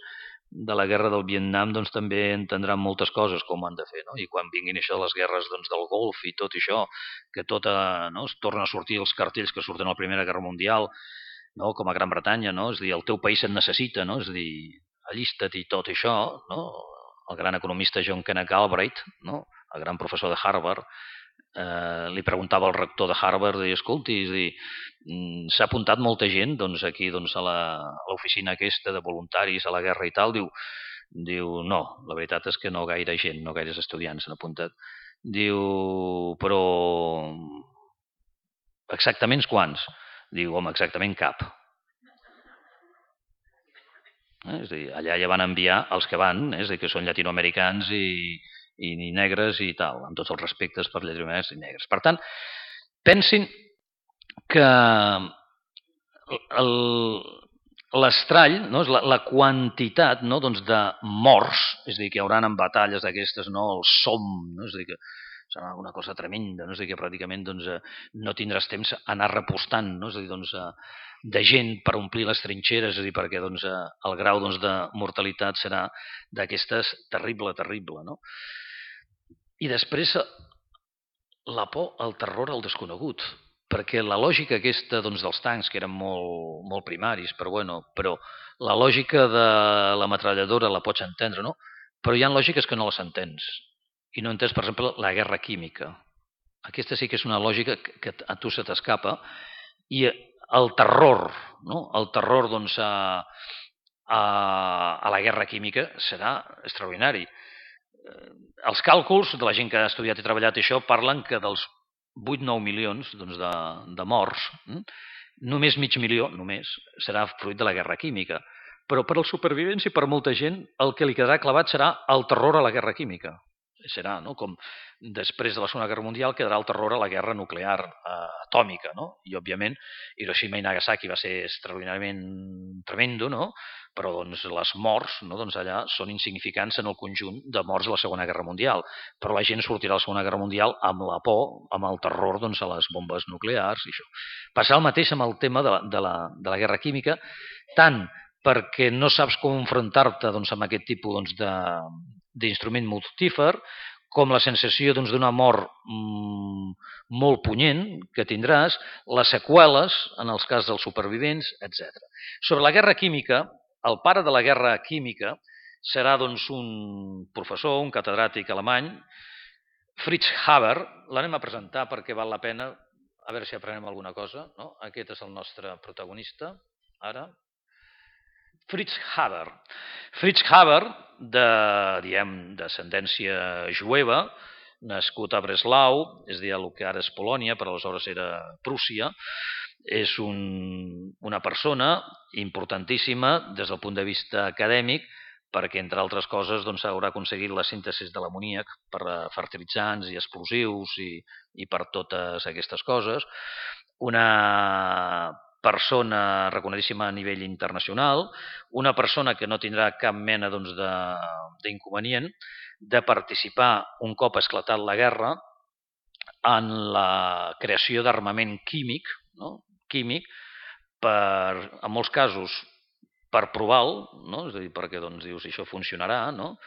de la guerra del Vietnam també entendran moltes coses com ho han de fer, no? I quan vinguin això de les guerres del Golf i tot això, que tot es tornen a sortir els cartells que surten a la Primera Guerra Mundial, no? Com a Gran Bretanya, no? És a dir, el teu país et necessita, no? És a dir, allista't i tot això, no? El gran economista John Kenneth Galbraith, no? El gran professor de Harvard, li preguntava al rector de Harvard, i escolti, s'ha apuntat molta gent aquí a l'oficina aquesta de voluntaris a la guerra i tal, diu no, la veritat és que no gaire gent, no gaires estudiants s'han apuntat. Diu, però exactament quants? Diu, home, exactament cap. És a dir, allà ja van enviar els que van, és a dir, que són llatinoamericans i negres i tal, amb tots els respectes per llatinoamericans i negres. Per tant, pensin que l'estrall, no, és la quantitat, no, de morts, és a dir, que hi haurà en batalles d'aquestes, no, el som, no, és a dir, que serà una cosa tremenda, no? És a dir, que pràcticament no tindràs temps a anar repostant, no? És a dir, de gent per omplir les trinxeres, és a dir, perquè el grau de mortalitat serà d'aquestes terrible, no? I després la por, el terror al desconegut, perquè la lògica aquesta dels tancs, que eren molt primaris, però la lògica de la metralladora la pots entendre, no? Però hi ha lògiques que no les entens. I no entens, per exemple, la guerra química. Aquesta sí que és una lògica que a tu se t'escapa. I el terror, no? El terror a la guerra química serà extraordinari. Els càlculs de la gent que ha estudiat i treballat això parlen que dels 8-9 milions de morts, només mig milió serà fruit de la guerra química. Però per als supervivents i per molta gent el que li quedarà clavat serà el terror a la guerra química. Serà, no? Com després de la Segona Guerra Mundial quedarà el terror a la guerra nuclear atòmica, no? I òbviament Hiroshima i Nagasaki va ser extraordinàriament tremendo, no? Però les morts allà són insignificants en el conjunt de morts de la Segona Guerra Mundial. Però la gent sortirà de la Segona Guerra Mundial amb la por, amb el terror a les bombes nuclears i això. Passarà el mateix amb el tema de la guerra química, tant perquè no saps com enfrontar-te amb aquest tipus d'instrument mortífer, com la sensació d'una mort molt punyent que tindràs, les seqüeles en els casos dels supervivents, etc. Sobre la guerra química, el pare de la guerra química serà un professor, un catedràtic alemany, Fritz Haber. L'anem a presentar perquè val la pena, a veure si aprenem alguna cosa. No? Aquest és el nostre protagonista, ara. Fritz Haber. Fritz Haber, d'ascendència jueva, nascut a Breslau, és a dir, el que ara és Polònia, però aleshores era Prússia, és una persona importantíssima des del punt de vista acadèmic, perquè, entre altres coses, haurà aconseguit la síntesi de l'amoníac per a fertilitzants i explosius i per totes aquestes coses. Una persona reconegudíssima a nivell internacional, una persona que no tindrà cap mena d'inconvenient de participar un cop esclatat la guerra en la creació d'armament químic, no? Químic, en molts casos per provar-lo, no? És a dir, perquè dius, això funcionarà, no?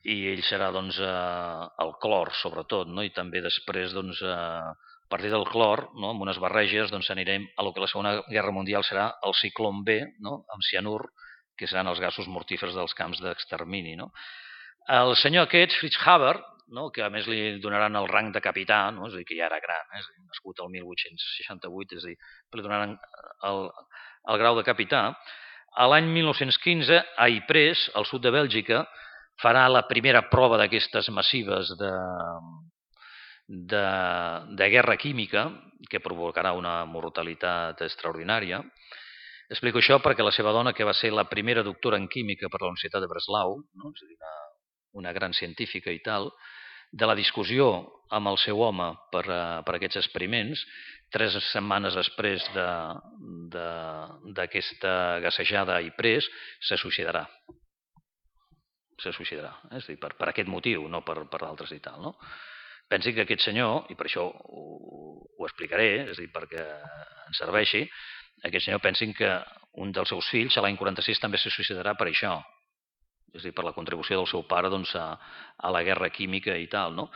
I ell serà el clor, sobretot, no? I també després a partir del clor, no? Amb unes barreges, anirem a lo que la Segona Guerra Mundial serà el ciclón B, no? Amb cianur, que seran els gasos mortífers dels camps d'extermini. No? El senyor aquest, Fritz Haber, no? Que a més li donaran el rang de capità, no? És a dir, que ja era gran, és a dir, nascut el 1868, és a dir, li donaran el grau de capità. A l'any 1915, a Ypres, al sud de Bèlgica, farà la primera prova d'aquestes massives de guerra química que provocarà una mortalitat extraordinària. Explico això perquè la seva dona, que va ser la primera doctora en química per la Universitat de Breslau, no? És a dir, una gran científica i tal, de la discussió amb el seu home per aquests experiments, 3 setmanes després d'aquesta gassejada a Ypres, se suïcidarà. És a dir, per aquest motiu, no per altres i tal, no? Pensi que aquest senyor, i per això ho explicaré, és a dir, perquè ens serveixi, aquest senyor pensin que un dels seus fills a l'any 46 també se suïcidarà per això, és a dir, per la contribució del seu pare a la guerra química i tal, no?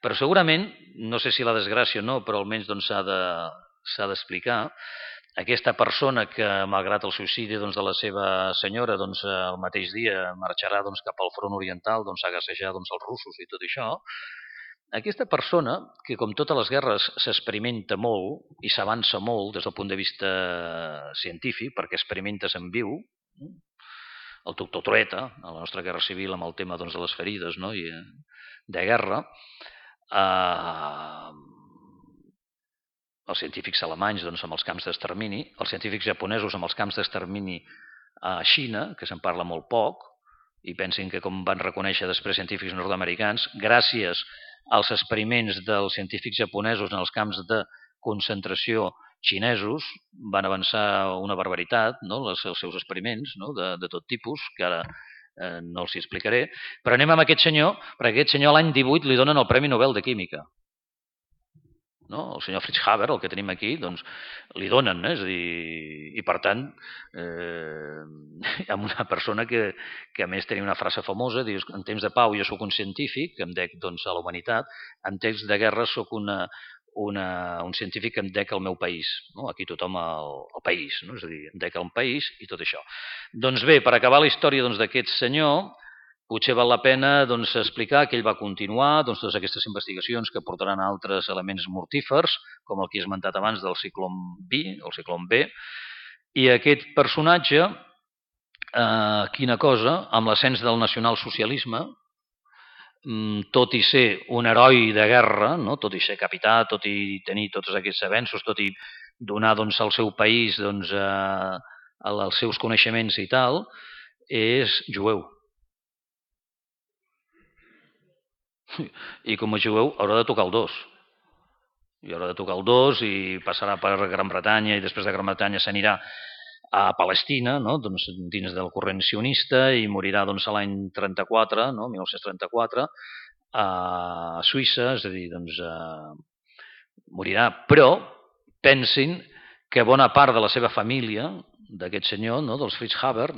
Però segurament, no sé si la desgràcia o no, però almenys s'ha d'explicar, aquesta persona que, malgrat el suïcidi de la seva senyora, el mateix dia marxarà cap al front oriental a gassejar els russos i tot això, Aquesta persona, que com totes les guerres s'experimenta molt i s'avança molt des del punt de vista científic, perquè experimentes en viu, el doctor Trueta, a la nostra guerra civil, amb el tema de les ferides de guerra, els científics alemanys amb els camps d'extermini, els científics japonesos amb els camps d'extermini a Xina, que se'n parla molt poc, i pensin que com van reconèixer després científics nord-americans, gràcies als experiments dels científics japonesos en els camps de concentració xinesos van avançar una barbaritat, els seus experiments de tot tipus, que ara no els hi explicaré, però anem amb aquest senyor, perquè aquest senyor l'any 18 li donen el Premi Nobel de Química. El senyor Fritz Haber, el que tenim aquí, doncs li donen, és a dir, i per tant, amb una persona que a més tenia una frase famosa, dius, en temps de pau jo sóc un científic, que em dec a la humanitat, en temps de guerra sóc un científic que em dec al meu país. Aquí tothom al país, és a dir, em dec al país i tot això. Doncs bé, per acabar la història d'aquest senyor, potser val la pena explicar que ell va continuar totes aquestes investigacions que portaran a altres elements mortífers, com el que he esmentat abans del ciclon B, i aquest personatge, quina cosa, amb l'ascens del nacionalsocialisme, tot i ser un heroi de guerra, tot i ser capità, tot i tenir tots aquests avenços, tot i donar al seu país els seus coneixements i tal, és jueu. I com a jueu haurà de tocar el 2. I haurà de tocar el 2 i passarà per Gran Bretanya i després de Gran Bretanya s'anirà a Palestina, dins del corrent sionista, i morirà l'any 34, 1934, a Suïssa, és a dir, morirà. Però pensin que bona part de la seva família, d'aquest senyor, dels Fritz Haber,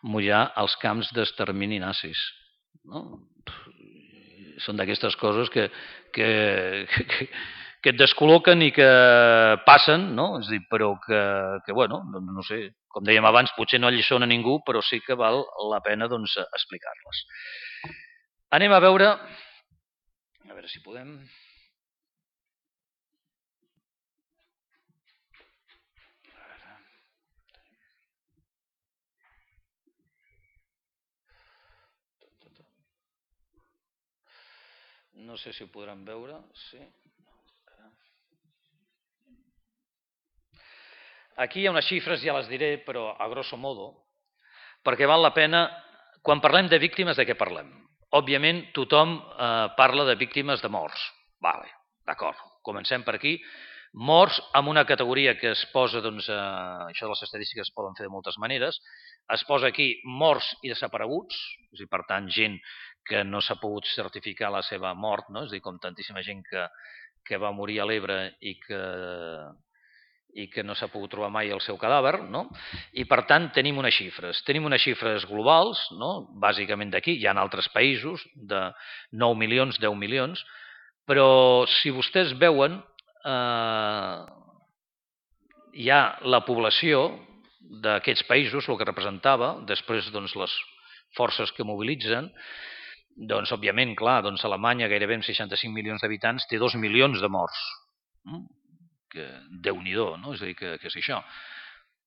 morirà als camps d'extermini nazis. Són d'aquestes coses que et descol·loquen i que passen, és a dir, però que bueno, no sé, com dèiem abans, potser no alliçona ningú, però sí que val la pena explicar-les. Anem a veure si podem... No sé si ho podran veure, sí. Aquí hi ha unes xifres, ja les diré, però a grosso modo, perquè val la pena, quan parlem de víctimes, de què parlem? Òbviament, tothom parla de víctimes de morts. Vale, d'acord, comencem per aquí. Morts amb una categoria que es posa, això de les estadístiques es poden fer de moltes maneres, es posa aquí morts i desapareguts, és a dir, per tant, gent que no s'ha pogut certificar la seva mort, és a dir, com tantíssima gent que va morir a l'Ebre i que no s'ha pogut trobar mai el seu cadàver, i per tant tenim unes xifres. Tenim unes xifres globals, bàsicament d'aquí, hi ha altres països, de 9 milions, 10 milions, però si vostès veuen, hi ha la població d'aquests països, el que representava, després les forces que mobilitzen, òbviament, clar, Alemanya, gairebé amb 65 milions d'habitants, té 2 milions de morts. Que Déu-n'hi-do, és a dir, que és això.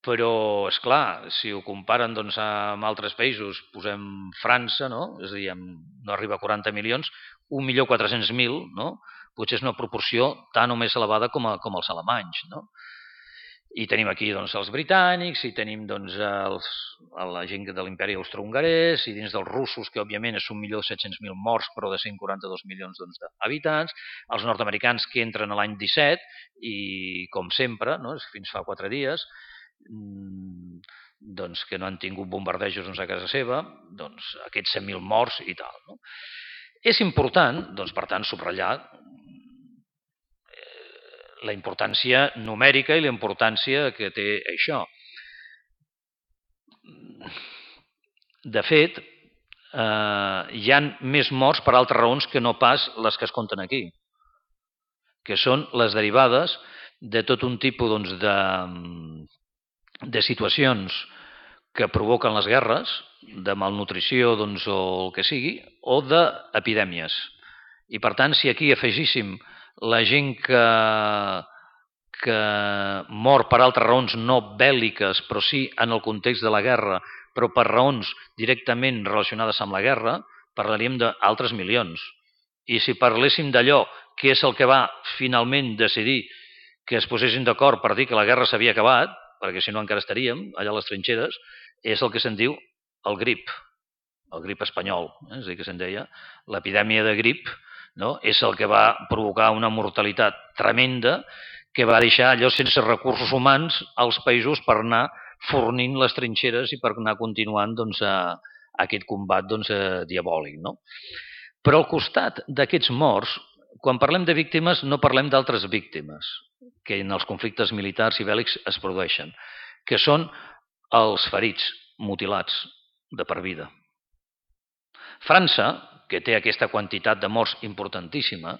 Però, és clar, si ho comparen amb altres països, posem França, és a dir, no arriba a 40 milions, 1.400.000, potser és una proporció tan o més elevada com els alemanys, I tenim aquí els britànics, i tenim la gent de l'imperi austrohongarès, i dins dels russos, que òbviament és 1.700.000 morts, però de 142 milions d'habitants, els nord-americans que entren a l'any 17, i com sempre, fins fa 4 dies, que no han tingut bombardejos a casa seva, aquests 100.000 morts i tal. És important, per tant, subratllar la importància numèrica i la importància que té això. De fet, hi ha més morts per altres raons que no pas les que es compten aquí, que són les derivades de tot un tipus de situacions que provoquen les guerres, de malnutrició o el que sigui, o d'epidèmies. I per tant, si aquí afegíssim la gent que mor per altres raons no bèl·liques, però sí en el context de la guerra, però per raons directament relacionades amb la guerra, parlaríem d'altres milions. I si parléssim d'allò que és el que va finalment decidir que es posessin d'acord per dir que la guerra s'havia acabat, perquè si no encara estaríem allà a les trinxeres, és el que se'n diu el grip espanyol, és a dir, que se'n deia l'epidèmia de grip, no? És el que va provocar una mortalitat tremenda que va deixar allò sense recursos humans als països per anar fornint les trinxeres i per anar continuant doncs, aquest combat doncs, diabòlic. No? Però al costat d'aquests morts, quan parlem de víctimes no parlem d'altres víctimes que en els conflictes militars i bèl·lics es produeixen, que són els ferits, mutilats de per vida. França, que té aquesta quantitat de morts importantíssima,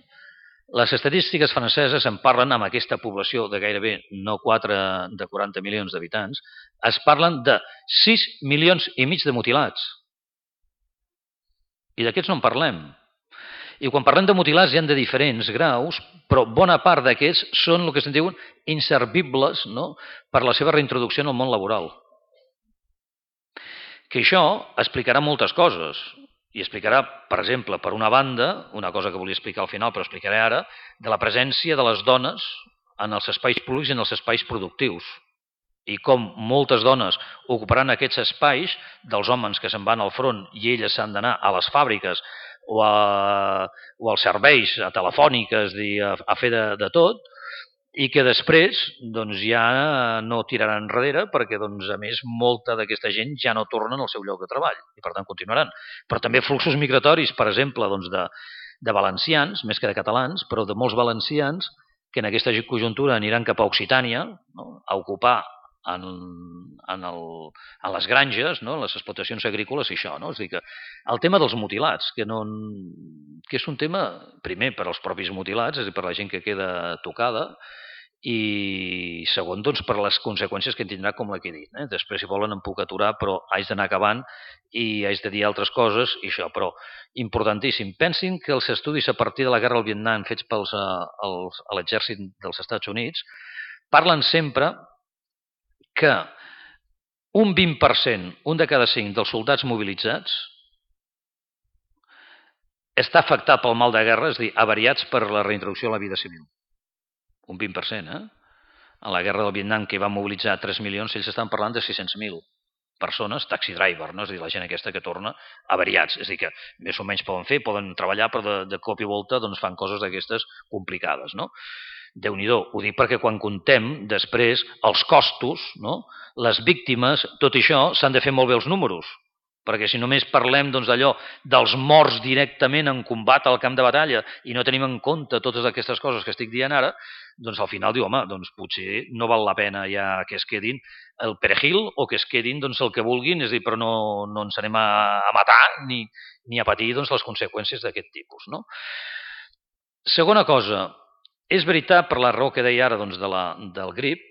les estadístiques franceses en parlen amb aquesta població de gairebé no 40 milions d'habitants, es parlen de 6 milions i mig de mutilats. I d'aquests no en parlem. I quan parlem de mutilats hi ha de diferents graus, però bona part d'aquests són el que se'n diuen inservibles, no? Per la seva reintroducció en el món laboral. Que això explicarà moltes coses. I explicarà, per exemple, per una banda, una cosa que volia explicar al final, però explicaré ara, de la presència de les dones en els espais públics i en els espais productius. I com moltes dones ocuparan aquests espais dels homes que se'n van al front i elles s'han d'anar a les fàbriques o als serveis, a telefòniques, a fer de tot, i que després doncs, ja no tiraran enrere perquè, doncs, a més, molta d'aquesta gent ja no tornen al seu lloc de treball i, per tant, continuaran. Però també fluxos migratoris, per exemple, doncs, de valencians, més que de catalans, però de molts valencians que en aquesta conjuntura aniran cap a Occitània, no? A ocupar en les granges, no? Les explotacions agrícoles i això. No? És a dir, que el tema dels mutilats, que és un tema, primer, per als propis mutilats, és a dir, per la gent que queda tocada, i segon, doncs, per les conseqüències que en tindrà, com la que he dit. Després, si volen, em puc aturar, però haig d'anar acabant i haig de dir altres coses i això, però importantíssim. Pensin que els estudis a partir de la guerra al Vietnam fets a l'exèrcit dels Estats Units parlen sempre que un 20%, un de cada 5 dels soldats mobilitzats està afectat pel mal de guerra, és a dir, avariats per la reintroducció a la vida civil. Un 20%, A la guerra del Vietnam, que va mobilitzar 3 milions, ells estan parlant de 600.000 persones, taxi driver, no? És a dir, la gent aquesta que torna avariats. És a dir, que més o menys poden treballar, però de cop i volta doncs, fan coses d'aquestes complicades, no? Déu-n'hi-do, ho dic perquè quan contem després els costos, no? Les víctimes, tot això s'han de fer molt bé els números, perquè si només parlem doncs, d'allò dels morts directament en combat al camp de batalla i no tenim en compte totes aquestes coses que estic dient ara, doncs al final diu, home, doncs potser no val la pena ja que es quedin el perejil o que es quedin doncs, el que vulguin, és a dir, però no ens anem a matar ni a patir doncs, les conseqüències d'aquest tipus. No? Segona cosa, és veritat, per la raó que deia ara doncs, del grip,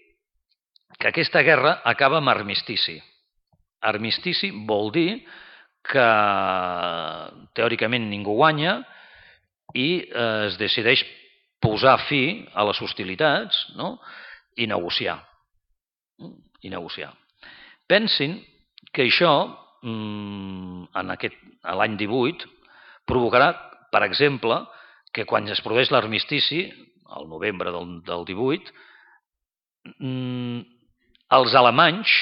que aquesta guerra acaba amb armistici. Armistici vol dir que teòricament ningú guanya i es decideix posar fi a les hostilitats, no? I negociar. Pensin que això, a l'any 18, provocarà, per exemple, que quan es produeix l'armistici, al novembre del 18, els alemanys,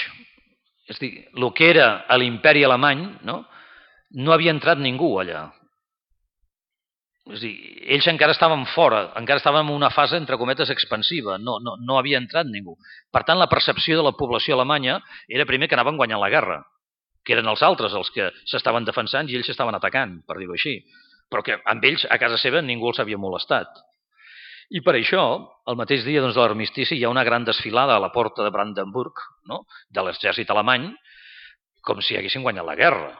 és a dir, el que era l'imperi alemany, no havia entrat ningú allà. És a dir, ells encara estaven fora, encara estaven en una fase, entre cometes, expansiva, no havia entrat ningú. Per tant, la percepció de la població alemanya era primer que anaven guanyant la guerra, que eren els altres els que s'estaven defensant i ells s'estaven atacant, per dir-ho així. Però que amb ells, a casa seva, ningú els havia molestat. I per això, el mateix dia doncs, de l'armistici, hi ha una gran desfilada a la porta de Brandenburg, no? De l'exèrcit alemany, com si haguessin guanyat la guerra.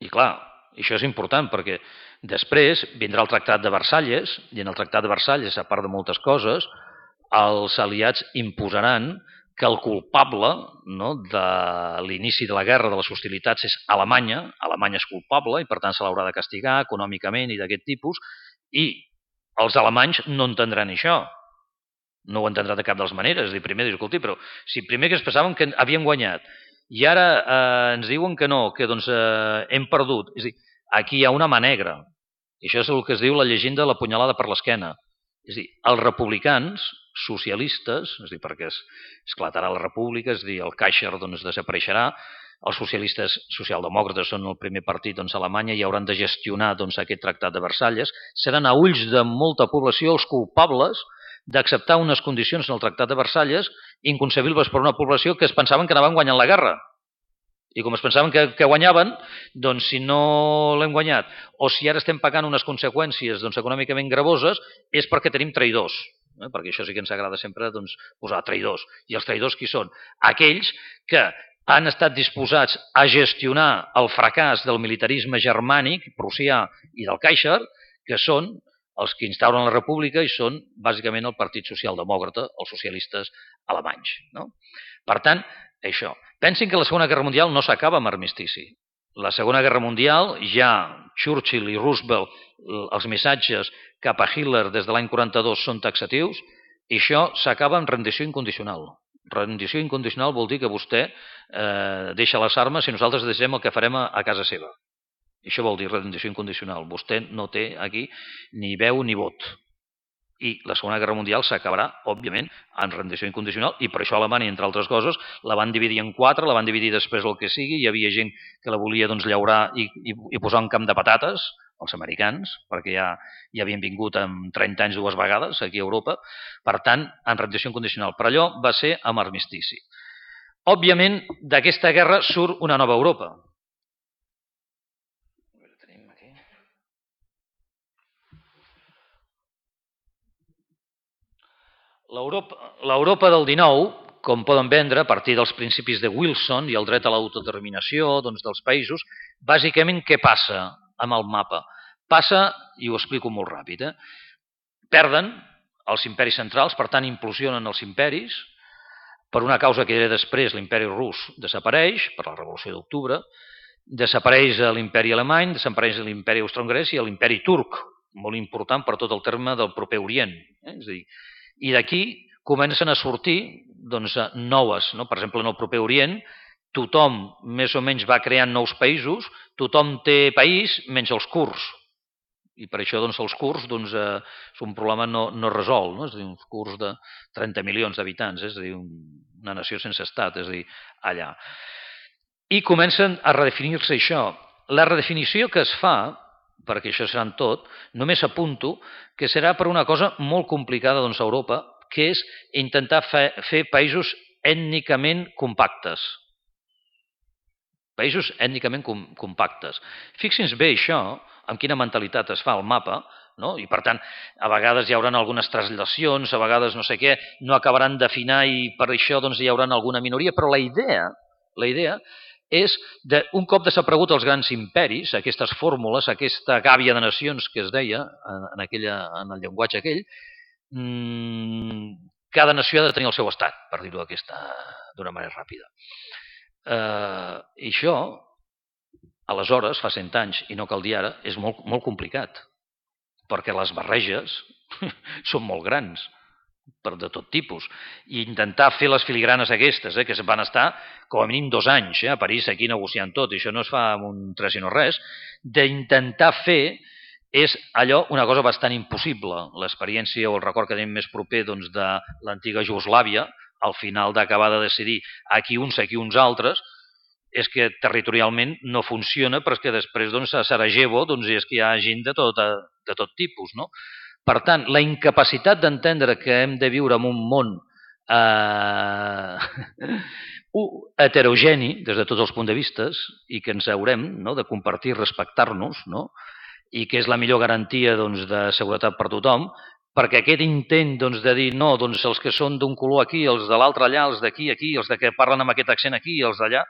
I clar, això és important perquè després vindrà el Tractat de Versalles, i en el Tractat de Versalles, a part de moltes coses, els aliats imposaran que el culpable de l'inici de la guerra, de les hostilitats, és Alemanya. Alemanya és culpable i, per tant, se l'haurà de castigar econòmicament i d'aquest tipus. I els alemanys no entendran això. No ho entendran de cap de les maneres. Primer, escolti, però si primer que es pensaven que havien guanyat i ara ens diuen que no, que doncs hem perdut. És a dir, aquí hi ha una mà negra. I això és el que es diu la llegenda de la punyalada per l'esquena. És a dir, els republicans socialistes, és a dir, perquè esclatarà la república, és a dir, el Kaiser doncs, desapareixerà, els socialistes socialdemòcrates són el primer partit doncs, a Alemanya i hauran de gestionar doncs, aquest tractat de Versalles, seran a ulls de molta població els culpables d'acceptar unes condicions en el tractat de Versalles inconcebibles per una població que es pensaven que anaven guanyant la guerra. I com es pensaven que guanyaven, doncs si no l'hem guanyat, o si ara estem pagant unes conseqüències doncs, econòmicament gravoses, és perquè tenim traïdors. Perquè això sí que ens agrada sempre doncs, posar traïdors. I els traïdors qui són? Aquells que han estat disposats a gestionar el fracàs del militarisme germànic, prussià i del Kaiser, que són els que instauren la república i són bàsicament el Partit Socialdemòcrata, els socialistes alemanys. No? Per tant, això. Pensin que la Segona Guerra Mundial no s'acaba amb armistici. La Segona Guerra Mundial, ja Churchill i Roosevelt, els missatges cap a Hitler des de l'any 42 són taxatius, i això s'acaba amb rendició incondicional. Rendició incondicional vol dir que vostè deixa les armes i nosaltres decidem el que farem a casa seva. Això vol dir rendició incondicional. Vostè no té aquí ni veu ni vot. I la Segona Guerra Mundial s'acabarà, òbviament, en rendició incondicional, i per això Alemanya, entre altres coses, la van dividir en 4, la van dividir després el que sigui, hi havia gent que la volia doncs, llaurar i posar un camp de patates, els americans, perquè ja havien vingut amb 30 anys 2 vegades aquí a Europa, per tant, en rendició incondicional. Però allò va ser amb armistici. Òbviament, d'aquesta guerra surt una nova Europa. L'Europa del XIX, com poden vendre, a partir dels principis de Wilson i el dret a l'autodeterminació doncs, dels països, bàsicament què passa amb el mapa? Passa, i ho explico molt ràpid, perden els imperis centrals, per tant implosionen els imperis, per una causa que era després l'imperi rus desapareix, per la Revolució d'Octubre, desapareix l'imperi alemany, desapareix l'imperi austro-hongarès i l'imperi turc, molt important per tot el terme del proper Orient. És a dir, i d'aquí comencen a sortir doncs, noves. No? Per exemple, en el proper Orient, tothom més o menys va creant nous països, tothom té país menys els kurds. I per això doncs, els kurds doncs, és un problema no resolt. No? És a dir, uns kurds de 30 milions d'habitants, és a dir, una nació sense estat, és a dir, allà. I comencen a redefinir-se això. La redefinició que es fa, perquè això serà en tot, només apunto que serà per una cosa molt complicada doncs, a Europa, que és intentar fer països ètnicament compactes. Països ètnicament compactes. Fixin-se bé això, amb quina mentalitat es fa el mapa, no? I per tant, a vegades hi haurà algunes translacions, a vegades no sé què, no acabaran d'afinar i per això doncs, hi haurà alguna minoria, però la idea és, un cop desaparegut els grans imperis, aquestes fórmules, aquesta gàbia de nacions que es deia en el llenguatge aquell, cada nació ha de tenir el seu estat, per dir-ho d'una manera ràpida. I això, aleshores, fa 100 anys, i no cal dir ara, és molt, molt complicat, perquè les barreges són molt grans, de tot tipus, i intentar fer les filigranes aquestes, que van estar com a mínim 2 anys a París aquí negociant tot, i això no es fa amb un 3 i no res, d'intentar fer és allò una cosa bastant impossible. L'experiència o el record que tenim més proper doncs, de l'antiga Jugoslàvia, al final d'acabar de decidir aquí uns altres, és que territorialment no funciona, però és que després doncs, a Sarajevo doncs, és que hi ha gent de tot tipus, no? Per tant, la incapacitat d'entendre que hem de viure en un món heterogeni des de tots els punts de vista i que ens haurem de compartir, respectar-nos, i que és la millor garantia de seguretat per tothom, perquè aquest intent de dir no, els que són d'un color aquí, els de l'altre allà, els d'aquí aquí, els que parlen amb aquest accent aquí, els d'allà,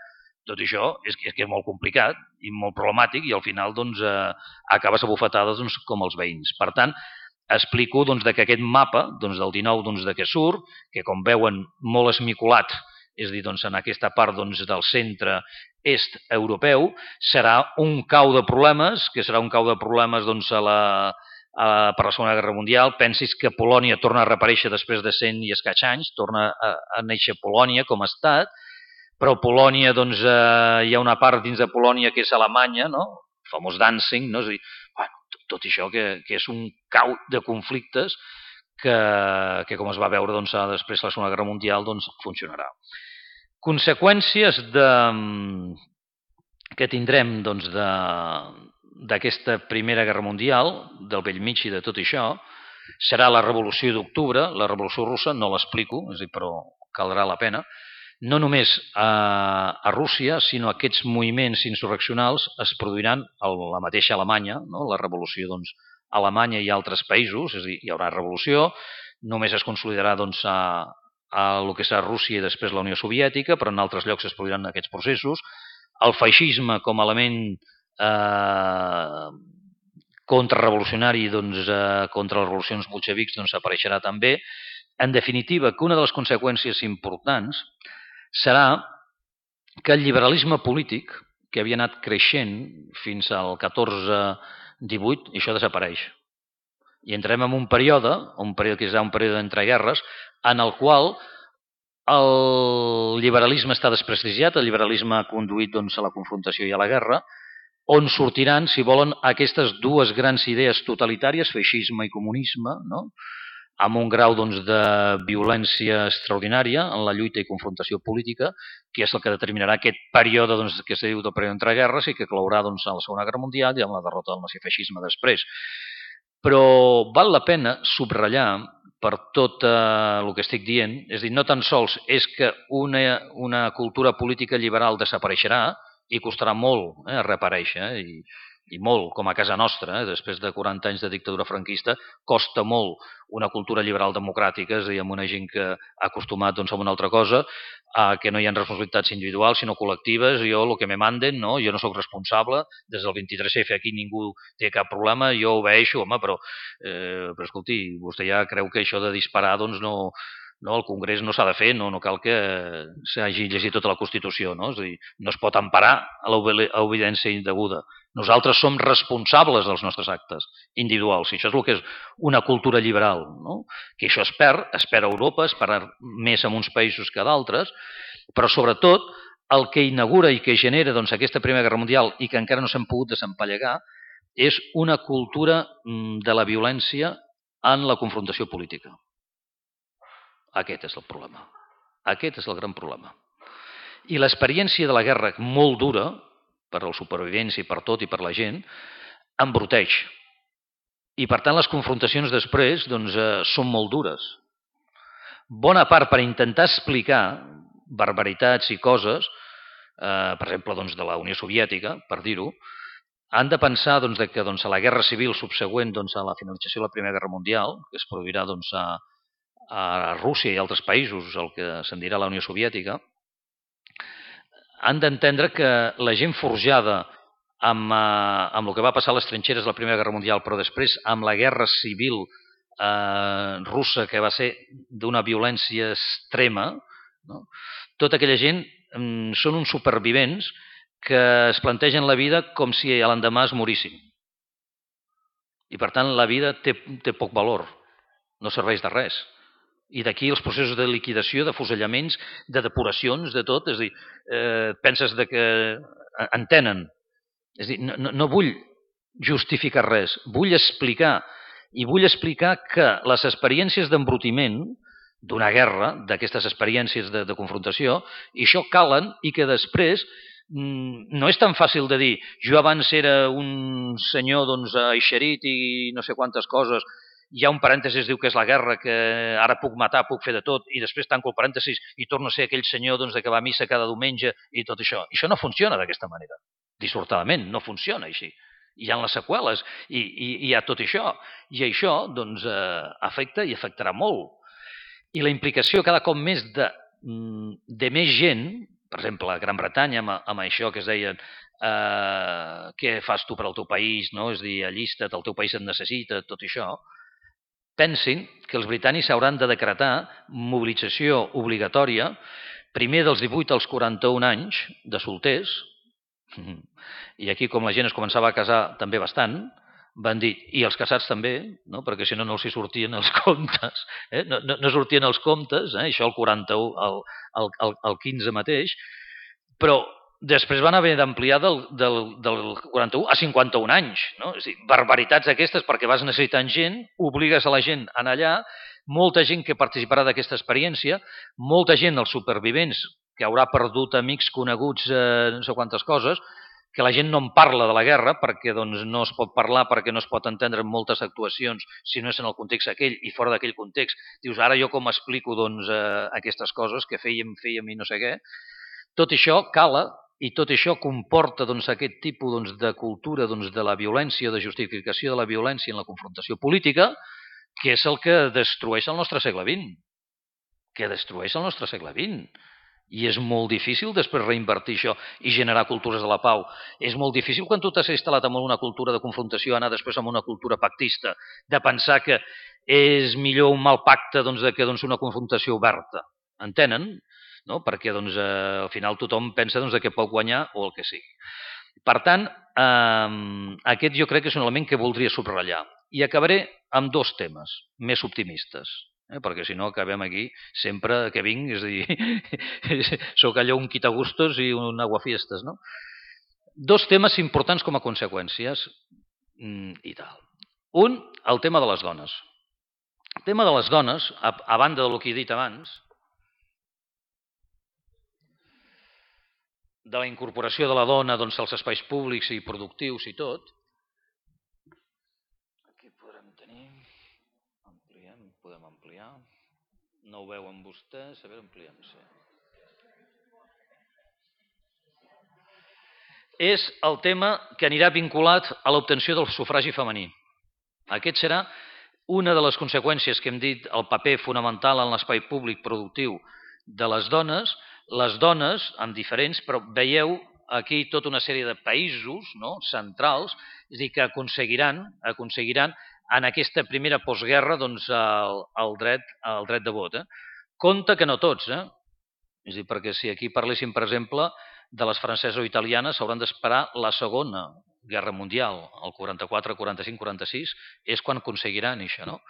tot això és que és molt complicat i molt problemàtic i al final acabes a bufetades com els veïns. Per tant, explico que aquest mapa del 19 que surt, que com veuen molt esmicolat, és a dir, en aquesta part del centre est europeu, serà un cau de problemes, que serà un cau de problemes per la Segona Guerra Mundial. Pensis que Polònia torna a reaparèixer després de 100 i escaig anys, torna a néixer Polònia com a estat, però Polònia, hi ha una part dins de Polònia que és Alemanya, no? El famós Danzig, no? És a dir, tot això que és un cau de conflictes que com es va veure després de la Segona Guerra Mundial, funcionarà. Conseqüències que tindrem d'aquesta Primera Guerra Mundial, del bell mig i de tot això, serà la Revolució d'Octubre. La Revolució Russa no l'explico, però caldrà la pena. No només a Rússia, sinó aquests moviments insurreccionals es produiran a la mateixa Alemanya, no? La revolució a Alemanya i a altres països, és a dir, hi haurà revolució, només es consolidarà a el que serà Rússia i després la Unió Soviètica, però en altres llocs es produiran aquests processos. El feixisme com a element contrarrevolucionari contra les revolucions bolxevics apareixerà també. En definitiva, que una de les conseqüències importants serà que el liberalisme polític, que havia anat creixent fins al 14-18, això desapareix. I entrem en un període que serà un període d'entreguerres, en el qual el liberalisme està desprestigiat, el liberalisme ha conduït a la confrontació i a la guerra, on sortiran, si volen, aquestes dues grans idees totalitàries, feixisme i comunisme, no? Amb un grau de violència extraordinària en la lluita i confrontació política, que és el que determinarà aquest període que es diu del període d'entreguerres i que clourà a la Segona Guerra Mundial i amb la derrota del nazifeixisme després. Però val la pena subratllar per tot el que estic dient, és a dir, no tan sols és que una cultura política liberal desapareixerà i costarà molt reaparèixer, i molt, com a casa nostra, després de 40 anys de dictadura franquista, costa molt una cultura liberal democràtica, és a dir, amb una gent que ha acostumat a una altra cosa, que no hi ha responsabilitats individuals, sinó col·lectives. Jo, el que me manden, no? Jo no sóc responsable, des del 23F aquí ningú té cap problema, jo obeeixo, home, però escolti, vostè ja creu que això de disparar, no, el Congrés no s'ha de fer, no cal que s'hagi llegit tota la Constitució, no? És a dir, no es pot emparar a l'obediència indeguda. Nosaltres som responsables dels nostres actes individuals, i això és el que és una cultura liberal, no? Que això es perd a Europa, es perd més en uns països que d'altres, però sobretot el que inaugura i que genera aquesta Primera Guerra Mundial i que encara no s'han pogut desempallegar és una cultura de la violència en la confrontació política. Aquest és el problema. Aquest és el gran problema. I l'experiència de la guerra, molt dura, per als supervivents i per tot i per la gent, embruteix. I per tant les confrontacions després són molt dures. Bona part per intentar explicar barbaritats i coses, per exemple de la Unió Soviètica, per dir-ho, han de pensar que a la guerra civil subsegüent a la finalització de la Primera Guerra Mundial, que es produirà a Rússia i altres països, el que se'n dirà la Unió Soviètica, han d'entendre que la gent forjada amb el que va passar a les trinxeres de la Primera Guerra Mundial, però després amb la guerra civil russa, que va ser d'una violència extrema, no? Tota aquella gent són uns supervivents que es plantegen la vida com si a l'endemà es morissin. I per tant la vida té poc valor, no serveix de res. I d'aquí els processos de liquidació, de fusellaments, de depuracions, de tot. És a dir, penses que entenen. És a dir, no vull justificar res, vull explicar. I vull explicar que les experiències d'embrutiment d'una guerra, d'aquestes experiències de confrontació, i això calen i que després no és tan fàcil de dir jo abans era un senyor eixerit i no sé quantes coses, hi ha un parèntesis, diu que és la guerra, que ara puc matar, puc fer de tot, i després tanco el parèntesis i torno a ser aquell senyor que va a missa cada diumenge i tot això. I això no funciona d'aquesta manera. Dissortadament, no funciona així. Hi ha les seqüeles i hi ha tot això. I això afecta i afectarà molt. I la implicació cada cop més de més gent, per exemple, a Gran Bretanya, amb això que es deien què fas tu per al teu país, no? És a dir, allista't, el teu país et necessita, tot això, pensin que els britànics hauran de decretar mobilització obligatòria primer dels 18 als 41 anys de solters, i aquí com la gent es començava a casar també bastant, van dir, i els casats també, no? Perquè si no, no els hi sortien els comptes, no sortien els comptes, això el 41, el 15 mateix, però després van haver d'ampliar del 41 a 51 anys. No? És a dir, barbaritats aquestes perquè vas necessitant gent, obligues a la gent a anar allà, molta gent que participarà d'aquesta experiència, molta gent, els supervivents, que haurà perdut amics coneguts, no sé quantes coses, que la gent no en parla de la guerra perquè doncs, no es pot parlar, perquè no es pot entendre en moltes actuacions si no és en el context aquell i fora d'aquell context. Dius, ara jo com explico doncs, aquestes coses que fèiem i no sé què. Tot això cala i tot això comporta doncs, aquest tipus doncs, de cultura doncs, de la violència, de justificació de la violència en la confrontació política, que és el que destrueix el nostre segle XX. Que destrueix el nostre segle XX. I és molt difícil després reinvertir això i generar cultures de la pau. És molt difícil quan tu t'has instal·lat en una cultura de confrontació anar després amb una cultura pactista, de pensar que és millor un mal pacte doncs, que doncs, una confrontació oberta. Entenen? No? Perquè doncs, al final tothom pensa doncs, que pot guanyar o el que sigui. Per tant, aquest jo crec que és un element que voldria subratllar. I acabaré amb dos temes més optimistes. Perquè si no acabem aquí sempre que vinc, és a dir, sóc allò un quitagustos i un aguafiestes, no? Dos temes importants com a conseqüències i tal. Un, el tema de les dones. El tema de les dones, a banda del que he dit abans, de la incorporació de la dona doncs, als espais públics i productius i tot, aquí podrem tenir, podem ampliar, no ho veuen vostès, a veure, ampliem, sí. És el tema que anirà vinculat a l'obtenció del sufragi femení. Aquest serà una de les conseqüències que hem dit, el paper fonamental en l'espai públic productiu de les dones, amb diferents, però veieu aquí tota una sèrie de països no, centrals, és a dir, que aconseguiran en aquesta primera postguerra doncs, el dret de vot. Compte que no tots, és a dir, perquè si aquí parléssim, per exemple, de les franceses o italianes, s'hauran d'esperar la Segona Guerra Mundial, el 44, 45, 46, és quan aconseguiran això, no?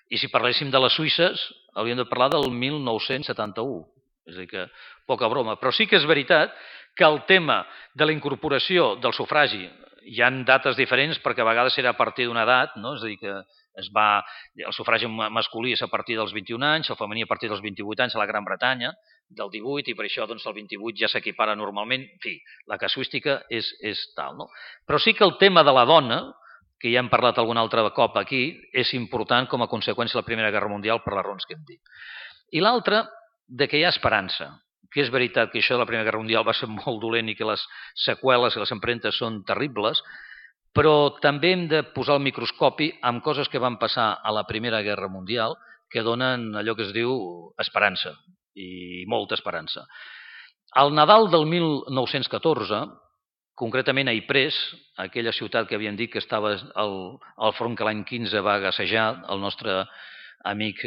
I si parléssim de les suïsses, hauríem de parlar del 1971. És a dir, que poca broma. Però sí que és veritat que el tema de la incorporació del sufragi, hi ha dates diferents perquè a vegades era a partir d'una edat, no? És a dir, que el sufragi masculí és a partir dels 21 anys, el femení a partir dels 28 anys a la Gran Bretanya, del 18, i per això doncs, el 28 ja s'equipara normalment. En fi, la casuística és tal. No? Però sí que el tema de la dona, que ja hem parlat algun altre cop aquí, és important com a conseqüència de la Primera Guerra Mundial per les raons que hem dit. I l'altre, de que hi ha esperança, que és veritat que això de la Primera Guerra Mundial va ser molt dolent i que les seqüeles i les empremtes són terribles, però també hem de posar el microscopi amb coses que van passar a la Primera Guerra Mundial que donen allò que es diu esperança, i molta esperança. Al Nadal del 1914, concretament a Ypres, aquella ciutat que havíem dit que estava al front que l'any 15 va gassejar el nostre amic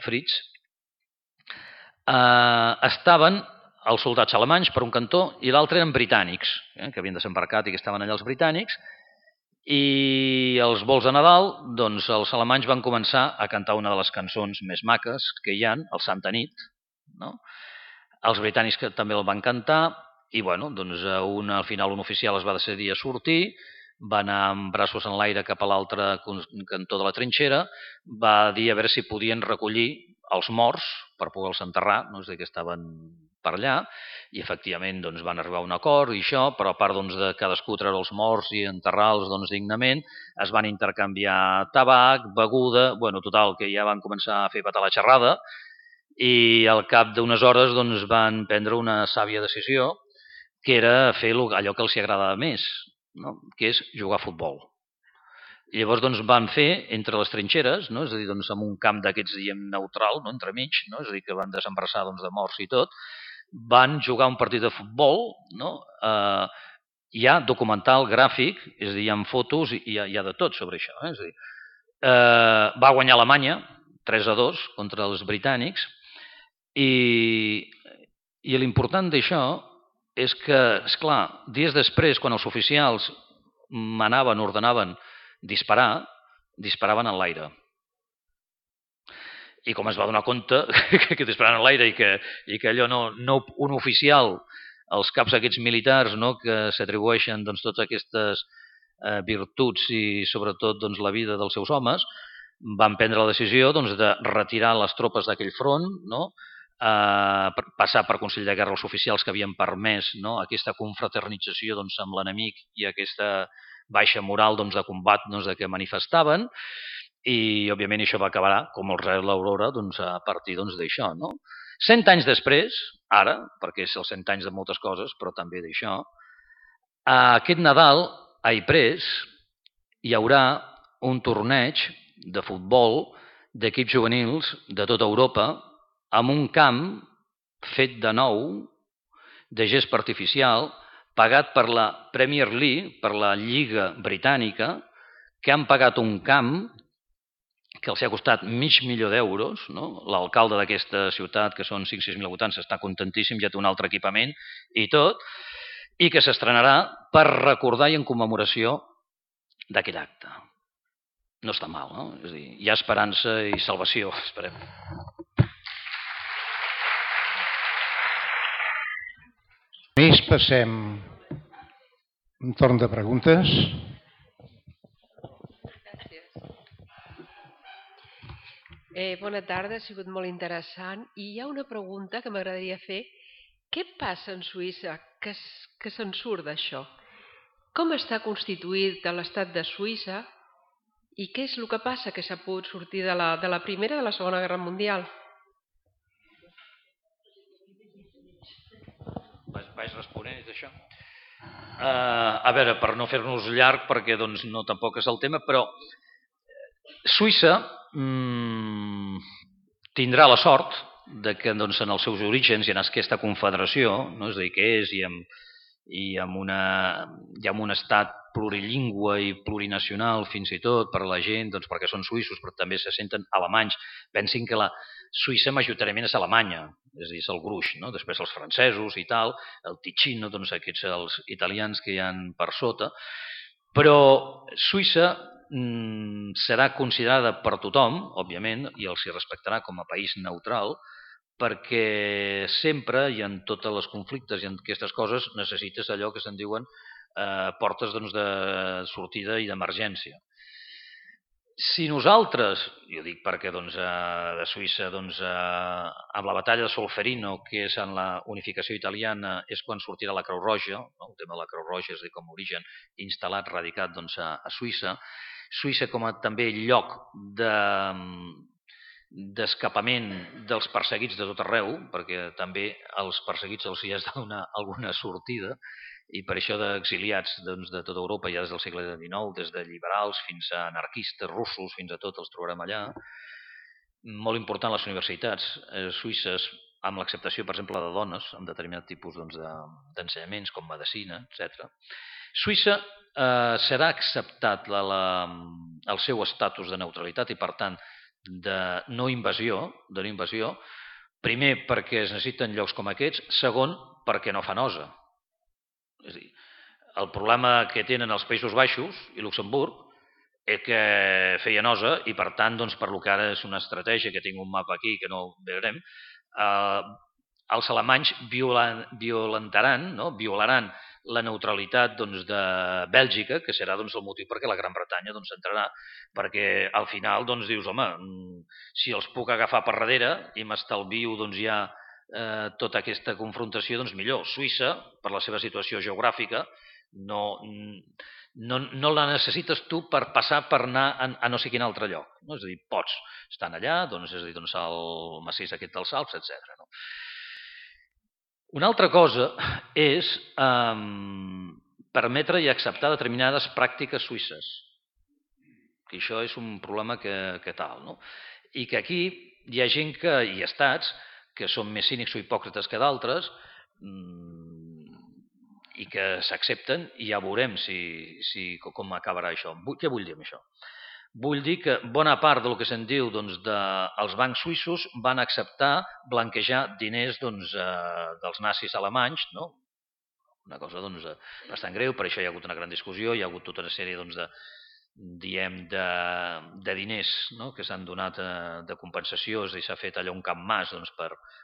Fritz, estaven els soldats alemanys per un cantó i l'altre eren britànics, que havien desembarcat i que estaven allà els britànics, i els vols de Nadal, doncs els alemanys van començar a cantar una de les cançons més maques que hi ha, el Santa Nit, no? Els britànics que també el van cantar, i bueno, doncs al final un oficial es va decidir a sortir, va anar amb braços en l'aire cap a l'altre cantó de la trinxera, va dir a veure si podien recollir els morts per poder-los enterrar, no? És a dir, que estaven per allà, i efectivament doncs, van arribar a un acord i això, però a part doncs, de cadascú treure els morts i enterrar-los doncs, dignament, es van intercanviar tabac, beguda, bueno, total, que ja van començar a fer petar la xerrada, i al cap d'unes hores doncs, van prendre una sàvia decisió, que era fer allò que els agradava més, no? Que és jugar a futbol. I llavors doncs, van fer entre les trinxeres, no? És a dir, doncs, en un camp d'aquests diem neutral, no? Entremig, no? És a dir, que van desembrassar doncs, de morts i tot, van jugar un partit de futbol, no? Hi ha documental gràfic, és a dir, hi ha fotos i hi ha de tot sobre això. És a dir, Va guanyar Alemanya 3-2 contra els britànics i l'important d'això és que, esclar, dies després, quan els oficials ordenaven disparar, disparaven en l'aire. I com es va donar compte que disparaven en l'aire i que allò un oficial, els caps aquests militars que s'atribueixen totes aquestes virtuts i sobretot la vida dels seus homes, van prendre la decisió de retirar les tropes d'aquell front, passar per Consell de Guerra els oficials que havien permès aquesta confraternització amb l'enemic i aquesta baixa moral de combat que manifestaven, i òbviament això va acabar com el rei de l'Aurora a partir d'això. 100 anys després, ara, perquè és els 100 anys de moltes coses, però també d'això, aquest Nadal a Ypres hi haurà un torneig de futbol d'equips juvenils de tota Europa amb un camp fet de nou, de gespa artificial, pagat per la Premier League, per la Lliga Britànica, que han pagat un camp que els ha costat $500.000, l'alcalde d'aquesta ciutat, que són 5-6.000 habitants, està contentíssim, ja té un altre equipament i tot, i que s'estrenarà per recordar i en commemoració d'aquell acte. No està mal, no? És a dir, hi ha esperança i salvació, esperem. Passem un torn de preguntes. Bona tarda, ha sigut molt interessant. I hi ha una pregunta que m'agradaria fer. Què passa en Suïssa que se'n surt d'això? Com està constituït l'estat de Suïssa i què és el que passa que s'ha pogut sortir de la Primera i de la Segona Guerra Mundial? Vaig responent d'això. A veure, per no fer-nos llarg, perquè no tampoc és el tema, però Suïssa tindrà la sort de que en els seus orígens i en aquesta confederació, és a dir, que és i amb un estat plurilingüe i plurinacional fins i tot per a la gent, perquè són suïssos però també se senten alemanys. Pensin que la Suïssa majoritàriament és Alemanya, és a dir, és el gruix, després els francesos i tal, el Ticino, aquests els italians que hi ha per sota, però Suïssa serà considerada per tothom, òbviament, i els hi respectarà com a país neutral, perquè sempre i en tots els conflictes i en aquestes coses necessites allò que se'n diuen portes de sortida i d'emergència. Si nosaltres, jo dic perquè de Suïssa amb la batalla de Solferino, que és en la unificació italiana, és quan sortirà la Creu Roja, el tema de la Creu Roja és a dir, com a origen instal·lat, radicat a Suïssa. Suïssa com a també lloc d'escapament dels perseguits de tot arreu, perquè també als perseguits els hi has de donar alguna sortida, i per això d'exiliats de tota Europa, ja des del segle XIX, des de liberals fins a anarquistes russos, fins a tot els trobarem allà. Molt important les universitats suïsses, amb l'acceptació, per exemple, de dones, amb determinat tipus d'ensenyaments, com medicina, etc. Suïssa serà acceptat el seu estatus de neutralitat i, per tant, de no invasió, primer perquè es necessiten llocs com aquests, segon perquè no fa nosa. És a dir, el problema que tenen els Països Baixos i Luxemburg és que feia nosa i per tant, per lo que ara és una estratègia, que tinc un mapa aquí que no veurem, els alemanys violaran la neutralitat de Bèlgica, que serà el motiu perquè la Gran Bretanya entrarà, perquè al final dius, home, si els puc agafar per darrere i m'estalvio ja tota aquesta confrontació, millor. Suïssa, per la seva situació geogràfica, no la necessites tu per passar per anar a no sé quin altre lloc. És a dir, pots estar allà, és a dir, el massís aquest dels Alps, etc. Una altra cosa és permetre i acceptar determinades pràctiques suïsses, que això és un problema que tal, i que aquí hi ha gent i estats que són més cínics o hipòcrites que d'altres i que s'accepten i ja veurem com acabarà això. Què vull dir amb això? Vull dir que bona part del que se'n diu dels bancs suïssos van acceptar blanquejar diners dels nazis alemanys, no? Una cosa bastant greu, per això hi ha hagut una gran discussió, hi ha hagut tota una sèrie de diners, no? Que s'han donat de compensació i s'ha fet allò un camp mas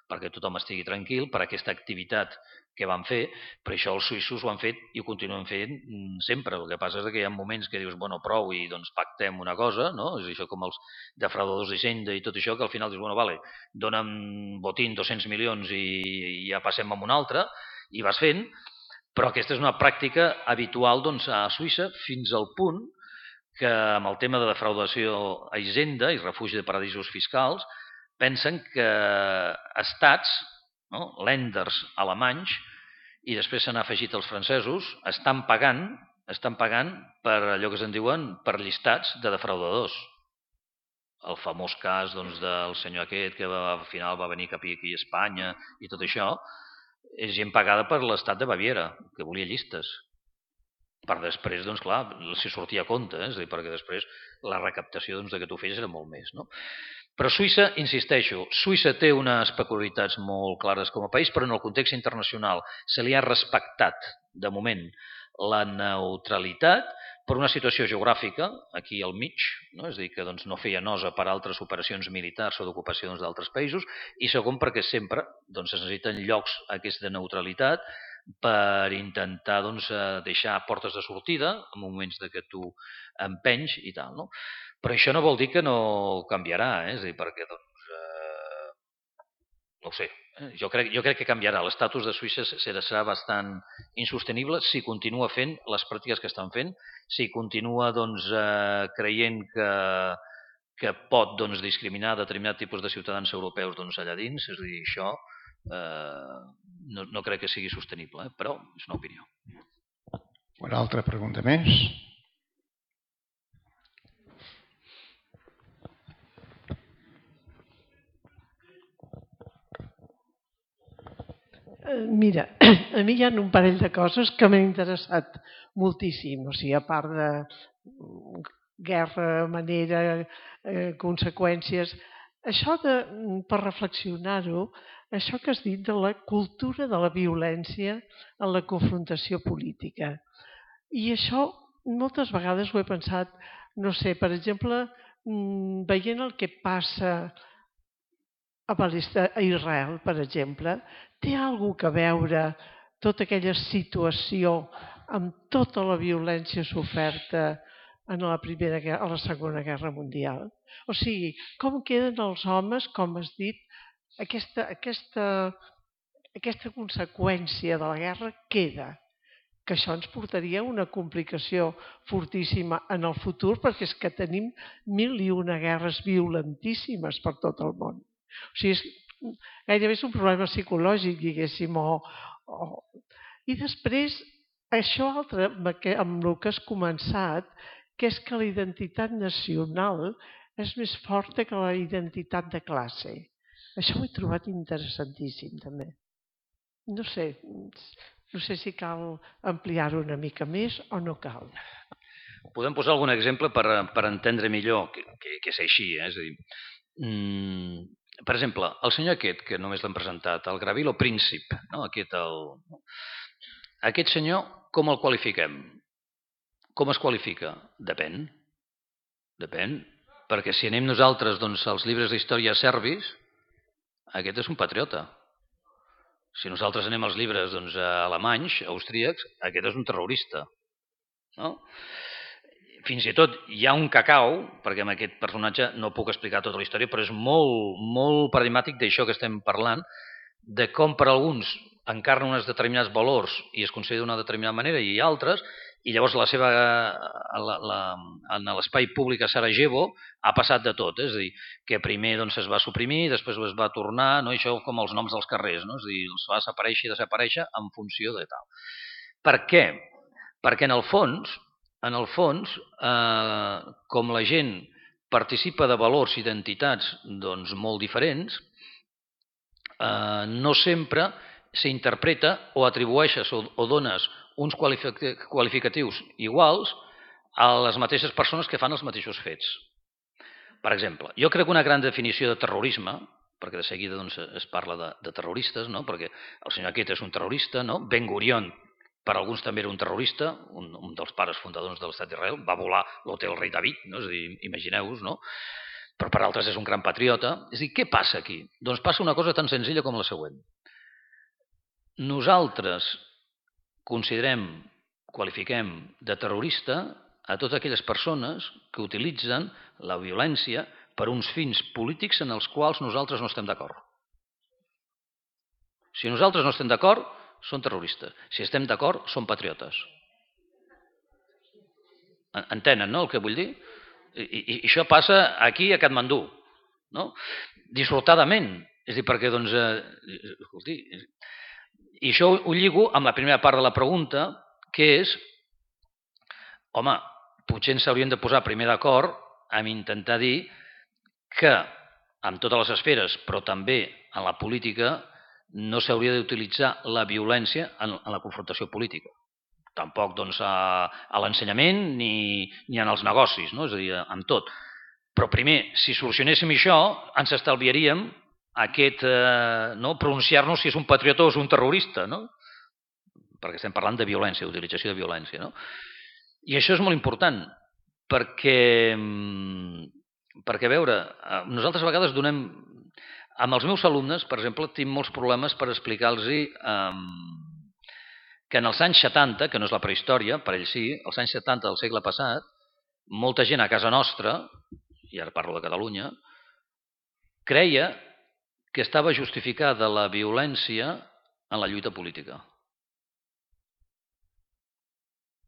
perquè tothom estigui tranquil per aquesta activitat que van fer, però això els suïssos ho han fet i ho continuen fent sempre. El que passa és que hi ha moments que dius, bueno, prou i pactem una cosa, no? És això com els defraudadors d'Hisenda i tot això, que al final dius, bueno, vale, dona'm botín 200 milions i ja passem a un altre, i vas fent, però aquesta és una pràctica habitual a Suïssa fins al punt que amb el tema de defraudació a Hisenda i refugi de paradisos fiscals pensen que estats, no? Lenders alemanys, i després s'han afegit els francesos, estan pagant per allò que se'n diuen per llistats de defraudadors. El famós cas del senyor aquest que al final va venir cap aquí a Espanya i tot això, és gent pagada per l'estat de Baviera, que volia llistes. Per després, clar, si sortia a compte, és a dir, perquè després la recaptació de que tu fes era molt més, no? Però Suïssa, insisteixo, Suïssa té unes peculiaritats molt clares com a país, però en el context internacional se li ha respectat, de moment, la neutralitat per una situació geogràfica, aquí al mig, no? És a dir, que no feia nosa per altres operacions militars o d'ocupacions d'altres països, i segon perquè sempre es necessiten llocs aquesta neutralitat per intentar deixar portes de sortida en moments que tu empenys i tal, no? Però això no vol dir que no canviarà, és a dir, perquè no ho sé, jo crec que canviarà. L'estatus de Suïssa serà bastant insostenible si continua fent les pràctiques que estan fent, si continua creient que pot discriminar determinat tipus de ciutadans europeus allà dins, és a dir, això no crec que sigui sostenible, però és una opinió. Una altra pregunta més? Mira, a mi hi ha un parell de coses que m'han interessat moltíssim, o sigui, a part de guerra, manera, conseqüències. Això per reflexionar-ho, això que has dit de la cultura de la violència en la confrontació política. I això moltes vegades ho he pensat, no sé, per exemple, veient el que passa a Israel, per exemple, té alguna cosa a veure tota aquella situació amb tota la violència soferta en la Segona Guerra Mundial? O sigui, com queden els homes, com has dit, aquesta conseqüència de la guerra queda, que això ens portaria a una complicació fortíssima en el futur, perquè és que tenim 1001 guerres violentíssimes per tot el món. O sigui, gairebé és un problema psicològic, diguéssim. I després, això altre amb el que has començat, que és que la identitat nacional és més forta que la identitat de classe. Això ho he trobat interessantíssim, també. No sé si cal ampliar-ho una mica més o no cal. Podem posar algun exemple per entendre millor que és així. És a dir, per exemple, el senyor aquest, que només l'hem presentat, el Gavrilo Princip, no? Aquest senyor, com el qualifiquem? Com es qualifica? Depèn. Perquè si anem nosaltres als llibres d'història serbis, aquest és un patriota. Si nosaltres anem als llibres alemanys, austríacs, aquest és un terrorista. No? Fins i tot hi ha un cacau, perquè amb aquest personatge no puc explicar tota la història, però és molt, molt paradigmàtic d'això que estem parlant, de com per alguns encarna uns determinats valors i es considera d'una determinada manera i altres, i llavors en l'espai públic a Sarajevo ha passat de tot, és a dir, que primer es va suprimir, després es va tornar, no? Això com els noms dels carrers, no? És a dir, els va desaparèixer i desaparèixer en funció de tal. Per què? Perquè en el fons, com la gent participa de valors i identitats molt diferents, no sempre s'interpreta o atribueixes o dones uns qualificatius iguals a les mateixes persones que fan els mateixos fets. Per exemple, jo crec que una gran definició de terrorisme, perquè de seguida doncs, es parla de terroristes, no? Perquè el senyor aquest és un terrorista, no? Ben Gurion, per alguns també era un terrorista, un dels pares fundadors de l'estat d'Israel, va volar l'hotel Rei David, no? És a dir, imagineu-vos, no? Però per altres és un gran patriota. És a dir, què passa aquí? Doncs passa una cosa tan senzilla com la següent. Nosaltres considerem, qualifiquem de terrorista a totes aquelles persones que utilitzen la violència per uns fins polítics en els quals nosaltres no estem d'acord. Si nosaltres no estem d'acord, són terroristes. Si estem d'acord, són patriotes. Entenen, no, el que vull dir? I això passa aquí a Katmandú, no? Dissortadament. És a dir, perquè, doncs, escolti, i això ho lligo amb la primera part de la pregunta, que és, home, potser ens hauríem de posar primer d'acord amb intentar dir que en totes les esferes, però també en la política, no s'hauria d'utilitzar la violència en la confrontació política. Tampoc doncs, a l'ensenyament ni en els negocis, no? És a dir, amb tot. Però primer, si solucionéssim això, ens estalviaríem aquest pronunciar-nos si és un patriota o és un terrorista, no? Perquè estem parlant de violència, d'utilització de violència, no? I això és molt important, perquè a veure, nosaltres a vegades donem... Amb els meus alumnes, per exemple, tinc molts problemes per explicar-los que en els anys 70, que no és la prehistòria, per ells sí, els anys 70 del segle passat, molta gent a casa nostra, i ara parlo de Catalunya, creia que estava justificada la violència en la lluita política.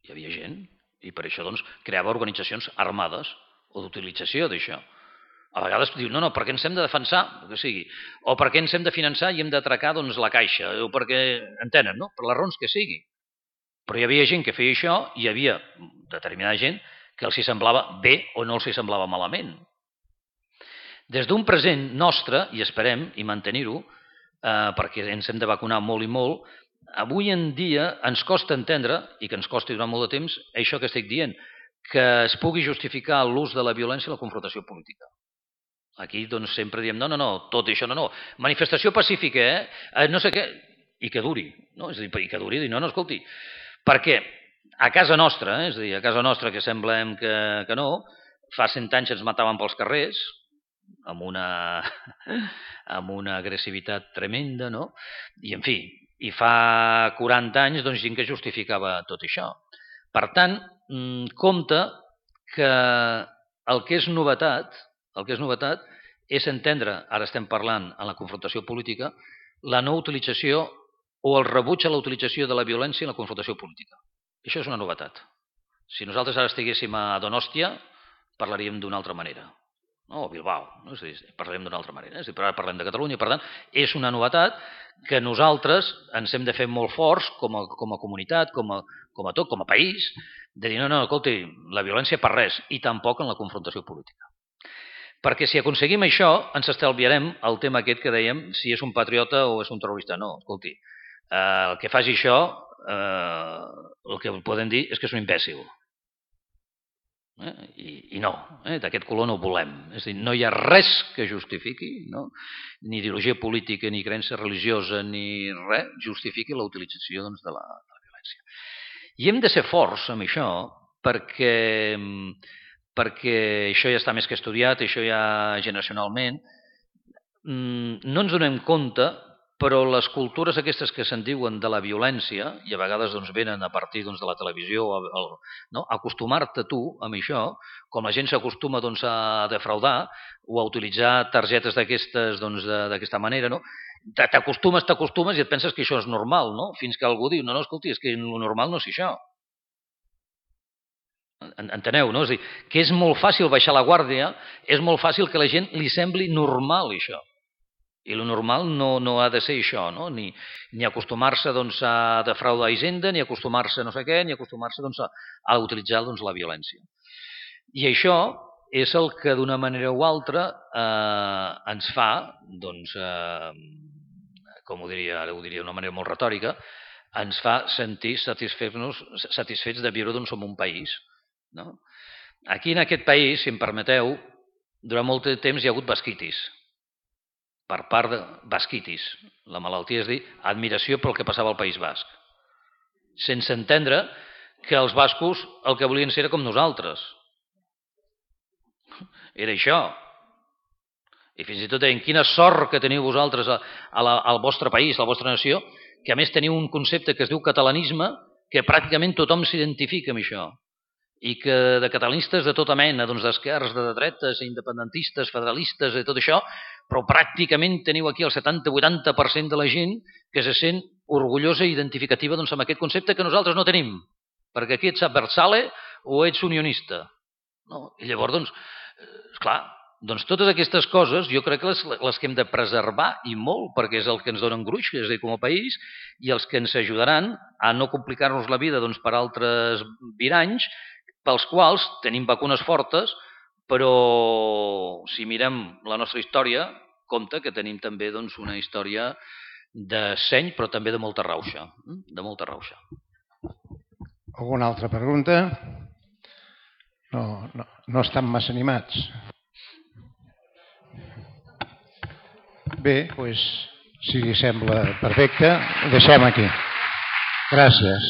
Hi havia gent, i per això doncs, creava organitzacions armades o d'utilització d'això. A vegades diu, no, perquè ens hem de defensar, que sigui, o perquè ens hem de finançar i hem d'atracar doncs, la caixa, o perquè, entenen, no? Per les raons que sigui. Però hi havia gent que feia això i hi havia determinada gent que els hi semblava bé o no els hi semblava malament. Des d'un present nostre, i esperem i mantenir-ho, perquè ens hem de vacunar molt i molt, avui en dia ens costa entendre, i que ens costi durant molt de temps, això que estic dient, que es pugui justificar l'ús de la violència i la confrontació política. Aquí doncs, sempre diem, no, tot això no. Manifestació pacífica, no sé què, i que duri. No? És a dir, i que duri, no, escolti, perquè a casa nostra, és a dir, a casa nostra que semblem que no, fa 100 anys ens mataven pels carrers, amb una agressivitat tremenda, no? I en fi, i fa 40 anys doncs, gent que justificava tot això. Per tant, compte que el que és novetat és entendre, ara estem parlant en la confrontació política, la no utilització o el rebuig a la utilització de la violència en la confrontació política. Això és una novetat. Si nosaltres ara estiguéssim a Donòstia, parlaríem d'una altra manera. No? O Bilbao, no? És a dir, parlarem d'una altra manera. És a dir, però ara parlem de Catalunya, per tant, és una novetat que nosaltres ens hem de fer molt forts com a comunitat, com a tot, com a país, de dir, no, escolti, la violència per res, i tampoc en la confrontació política. Perquè si aconseguim això, ens estalviarem el tema aquest que dèiem, si és un patriota o és un terrorista. No, escolti, el que faci això, el que podem dir és que és un imbècil. I no, d'aquest color no ho volem. És a dir, no hi ha res que justifiqui, no? Ni ideologia política, ni creença religiosa, ni res, justifiqui la utilització doncs, de la violència. I hem de ser forts amb això perquè això ja està més que estudiat, això ja generacionalment, no ens donem compte, però les cultures aquestes que se'n diuen de la violència, i a vegades doncs, venen a partir doncs, de la televisió, no? Acostumar-te tu amb això, com la gent s'acostuma doncs, a defraudar o a utilitzar targetes d'aquestes doncs, d'aquesta manera, no? T'acostumes i et penses que això és normal, no? Fins que algú diu, no, escolti, és que el normal no és això. Enteneu, no? És a dir, que és molt fàcil baixar la guàrdia, és molt fàcil que la gent li sembli normal això. I el normal no ha de ser això, no? Ni acostumar-se doncs, a defraudar Hisenda, ni acostumar-se a no sé què, ni acostumar-se doncs, a utilitzar doncs, la violència. I això és el que d'una manera o altra ens fa, doncs, com ho diria, ara ho diria d'una manera molt retòrica, ens fa sentir satisfets de viure doncs, en un país No? Aquí en aquest país, si em permeteu, durant molt de temps hi ha hagut basquitis. Per part de basquitis. La malaltia és dir, admiració pel que passava al País Basc. Sense entendre que els bascos el que volien ser era com nosaltres. Era això. I fins i tot deien, quina sort que teniu vosaltres al vostre país, a la vostra nació, que a més teniu un concepte que es diu catalanisme, que pràcticament tothom s'identifica amb això. I que de catalanistes de tota mena, doncs d'esquerres, de dretes, independentistes, federalistes i tot això, però pràcticament teniu aquí el 70-80% de la gent que se sent orgullosa i identificativa doncs, amb aquest concepte que nosaltres no tenim, perquè aquí ets adversale o ets unionista. No? I llavors, doncs, esclar, doncs totes aquestes coses jo crec que les que hem de preservar i molt, perquè és el que ens donen gruix, és a dir, com a país, i els que ens ajudaran a no complicar-nos la vida doncs, per altres viranys, pels quals tenim vacunes fortes, però si mirem la nostra història, compte que tenim també doncs, una història de seny, però també de molta rauxa. De molta rauxa. Alguna altra pregunta? No estan massa animats. Bé, doncs, si li sembla perfecte, ho deixem aquí. Gràcies.